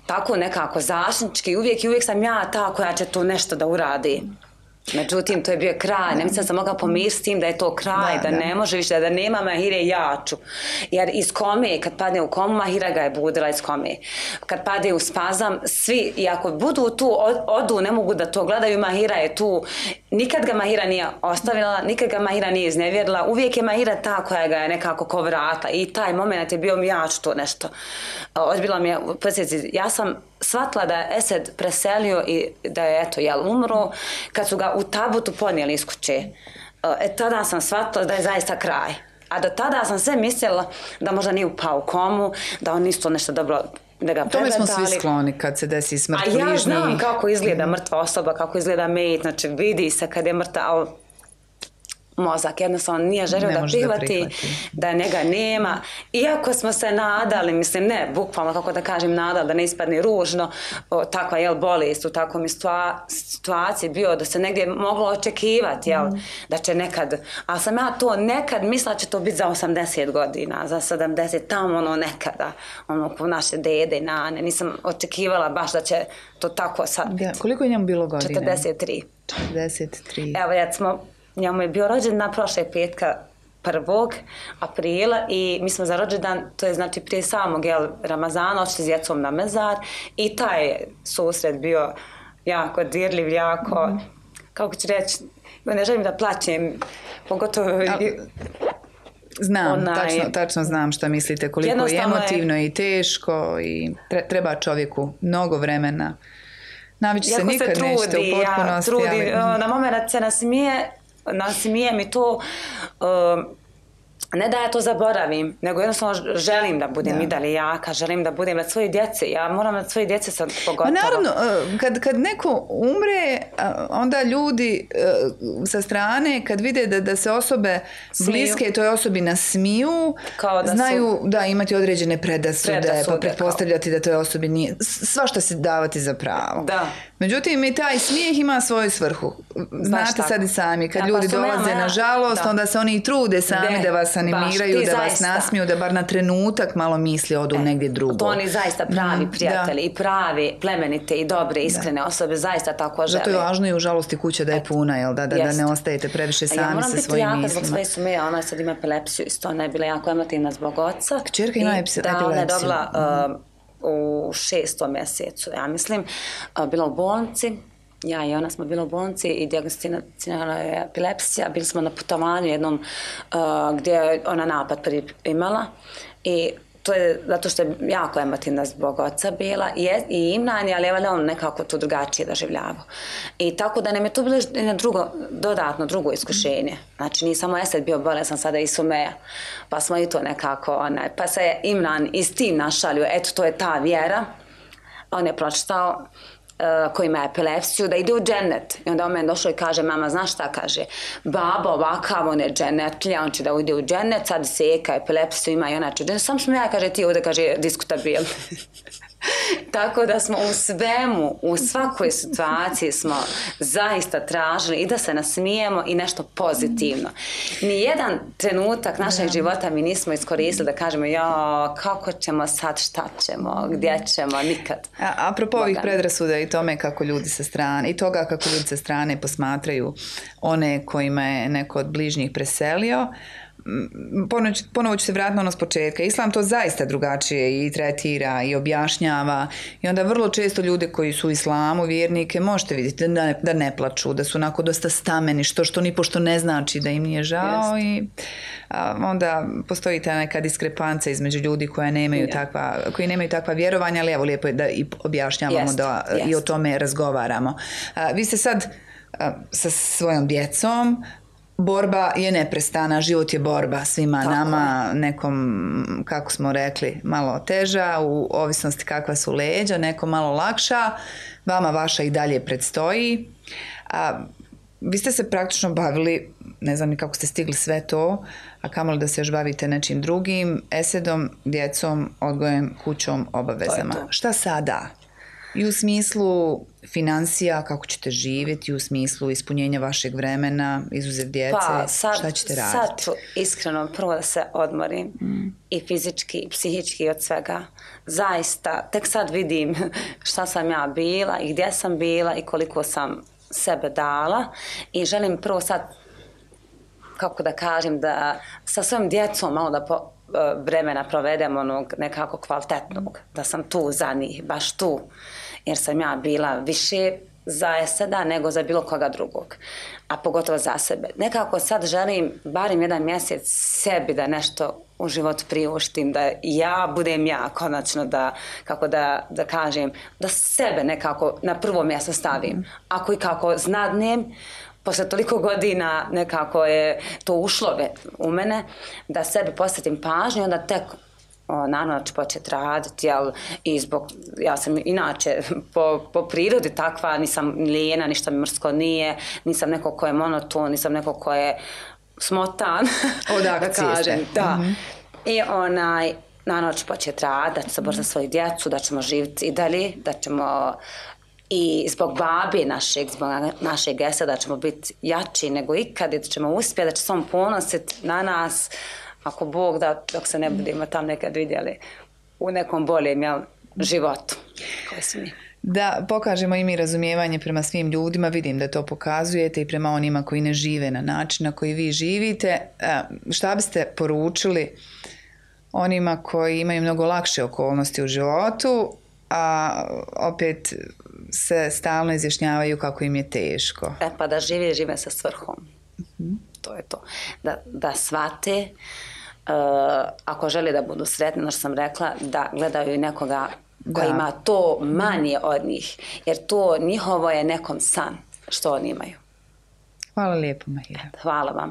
tako nekako zaštitnički, uvijek i uvijek sam ja ta koja će tu nešto da uradi. Međutim, to je bio kraj, ne mislim da sam mogla pomiriti s tim da je to kraj, da, da, da ne može više, da nema Mahire jaču. Jer iz kome, kad padne u komu, Mahira ga je budila iz kome. Kad padne u spazam, svi, i ako budu tu, odu, ne mogu da to gledaju, Mahira je tu. Nikad ga Mahira nije ostavila, nikad ga Mahira nije iznevjerila, uvijek je Mahira ta koja ga je nekako ko vrata i taj moment je bio mi jaču to nešto. Odbila mi je, podsjeci, ja sam shvatila da je Esed preselio i da je eto, jel, umro kad su ga u tabutu ponijeli iz kuće. E, tada sam shvatila da je zaista kraj. A do tada sam sve mislila da možda nije upao u komu, da on isto nešto dobro da ga tome smo svi skloni kad se desi smrt bližnji. A ja znam kako izgleda mrtva osoba, kako izgleda met, znači vidi se kad je mrtva, ali mozak jednostavno nije želio da prihvati, da prihvati, da njega nema. Iako smo se nadali, mislim ne, bukvalno kako da kažem nadali, da ne ispadne ružno, o, takva jel bolest u takvom situaciji bio da se negdje moglo očekivati, jel, mm. da će nekad, ali sam ja to nekad mislila će to biti za osamdeset godina, za sedamdeset, tamo ono nekada, ono ko naše dede i nane, nisam očekivala baš da će to tako sad biti. Ja, koliko je njemu bilo godine? četrdeset tri. četrdeset tri. Evo, recimo, njemu je bio rođendan prošle petka prvog aprila i mi smo za rođendan, to je znači prije samog jel, Ramazana, ošli s djecom na mezar i taj susret bio jako dirljiv, jako, mm-hmm. kako ću reći, ne želim da plaćem, pogotovo... A, znam, onaj, tačno, tačno znam šta mislite, koliko je emotivno je, i teško i treba čovjeku mnogo vremena. Navići se nikad se trudi, nećete u potpunosti. Ja, trudi, ali... na moment se nasmije, nasmije mi to, uh, ne da ja to zaboravim, nego jednostavno želim da budem da. i dalje jaka, želim da budem nad svoje djece, ja moram nad svoje djece sad pogotovo. Pa naravno, kad, kad neko umre, onda ljudi sa strane, kad vide da, da se osobe smiju. Bliske toj osobi nasmiju, da znaju su... da imati određene predasude, predasude pa pretpostavljati kao. Da toj osobi nije, svašta se davati za pravo. Da. Međutim, i taj smijeh ima svoju svrhu. Znate sad i sami, kad ja, ljudi pa dolaze nema, na žalost, da. Onda se oni i trude sami de, da vas animiraju, da vas nasmiju, da bar na trenutak malo misli odu e, negdje drugo. To oni zaista pravi mm, prijatelji da. I pravi plemenite i dobre, iskrene da. Osobe zaista tako žele. Zato je važno i u žalosti kuća da je puna, jel? Da, da, da ne ostajete previše sami sa svojim mislima. Ja moram biti jaka zbog svoje sume, ona sad ima epilepsiju, isto ona je bila jako emotivna zbog oca. Kćerka ima epilepsiju. Da, ona je dobila... Uh, u šestom mjesecu, ja mislim, bila u bolnici, ja i ona smo bila u bolnici i dijagnosticirana je epilepsija, bili smo na putovanju jednom uh, gdje je ona napad prvi imala i to je zato što je jako emotivna zbog oca bila i, je, i Imran je, ali on nekako to drugačije doživljavao. I tako da nam je to bilo jedno drugo, dodatno drugo iskušenje. Znači nije samo Esed bio bolesan, sada i Sumeja. Pa smo i to nekako, onaj, pa se je Imran i s tim našalio, eto to je ta vjera. On je pročitao Uh, koji ima epilepsiju, da ide u džennet. I onda on meni došao i kaže, mama, znaš šta, kaže, baba ovakav, on je džennetlija, on će da ide u džennet, sad seka, epilepsiju ima i ona će u džennet. Sam smo ja, kaže, ti ovdje, kaže, diskutabil. Tako da smo u svemu, u svakoj situaciji smo zaista tražili i da se nasmijemo i nešto pozitivno. Nijedan trenutak našeg da. života mi nismo iskoristili da kažemo ja, kako ćemo sad, šta ćemo, gdje ćemo, nikad. A, apropo ovih predrasuda i tome kako ljudi sa strane, i toga kako ljudi sa strane posmatraju one kojima je neko od bližnjih preselio, Ponovo, ponovo ću se vratiti ono s početka. Islam to zaista drugačije i tretira i objašnjava i onda vrlo često ljude koji su u islamu vjernike možete vidjeti da ne, da ne plaču, da su onako dosta stameni, što što ni pošto ne znači da im nije žao. Jest. I a, onda postoji ta neka diskrepanca između ljudi koja nemaju yeah. takva, koji nemaju takva vjerovanja, ali evo lijepo je da i objašnjavamo jest. da jest. i o tome razgovaramo. A, vi ste sad a, sa svojom djecom, borba je neprestana, život je borba svima Tako nama, je. nekom, kako smo rekli, malo teža, u ovisnosti kakva su leđa, nekom malo lakša, vama vaša i dalje predstoji. A, vi ste se praktično bavili, ne znam ni kako ste stigli sve to, a kamoli da se još bavite nečim drugim, esedom, djecom, odgojem, kućom, obavezama. To to. Šta sada? I u smislu financija, kako ćete živjeti, i u smislu ispunjenja vašeg vremena, izuzev djece, pa, sad, šta ćete raditi? Sad ću iskreno prvo da se odmorim mm. i fizički i psihički od svega. Zaista, tek sad vidim šta sam ja bila i gdje sam bila i koliko sam sebe dala i želim prvo sad, kako da kažem, da sa svojom djecom malo da po, vremena provedem onog nekako kvalitetnog, da sam tu za njih, baš tu, jer sam ja bila više za Eseda nego za bilo koga drugog, a pogotovo za sebe. Nekako sad želim barem jedan mjesec sebi da nešto u životu priuštim, da ja budem ja, konačno da, kako da, da kažem, da sebe nekako na prvo mjesto stavim. Ako i kako znadnem, posle toliko godina nekako je to ušlo u mene, da sebi posvetim pažnju, onda tek o, naravno ću početi raditi, jel, i zbog, ja sam inače po, po prirodi takva, nisam lijena, ništa mi mrsko nije, nisam neko ko je monoton, nisam neko ko je smotan, od akcije da kažem, da. Mm-hmm. I onaj, naravno ću početi raditi, da ću se boriti za svoju djecu, da ćemo živjeti i dalje, da ćemo i zbog babi našeg, zbog našeg Eseda ćemo biti jači nego ikad i da ćemo uspjeti, da će se on ponositi na nas, ako Bog da, dok se ne budemo tam nekad vidjeli u nekom boljem, jel, životu koji su mi. Da pokažemo i mi razumijevanje prema svim ljudima, vidim da to pokazujete i prema onima koji ne žive na način na koji vi živite. Šta biste poručili onima koji imaju mnogo lakše okolnosti u životu, a opet se stalno izjašnjavaju kako im je teško? E pa da žive, žive sa svrhom. Mm-hmm. To je to. Da, da shvate, uh, ako žele da budu sretni, no što sam rekla, da gledaju nekoga koji da. ima to manje od njih. Jer to njihovo je nekom san što oni imaju. Hvala lijepo, Mahira. Hvala vam.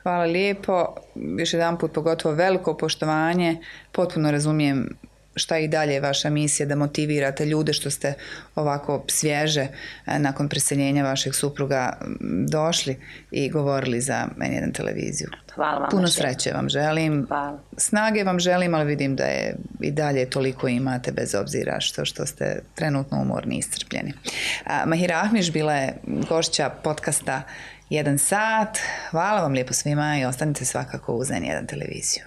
Hvala lijepo. Još jedan put pogotovo veliko poštovanje. Potpuno razumijem šta i dalje je vaša misija da motivirate ljude što ste ovako svježe nakon preseljenja vašeg supruga došli i govorili za en jedan televiziju. Hvala vam. Puno sreće vam želim. Hvala. Snage vam želim, ali vidim da je i dalje toliko imate bez obzira što, što ste trenutno umorni i iscrpljeni. Mahira Ahmiš bila je gošća podcasta Jedan sat. Hvala vam lijepo svima i ostanite svakako uz en jedan televiziju.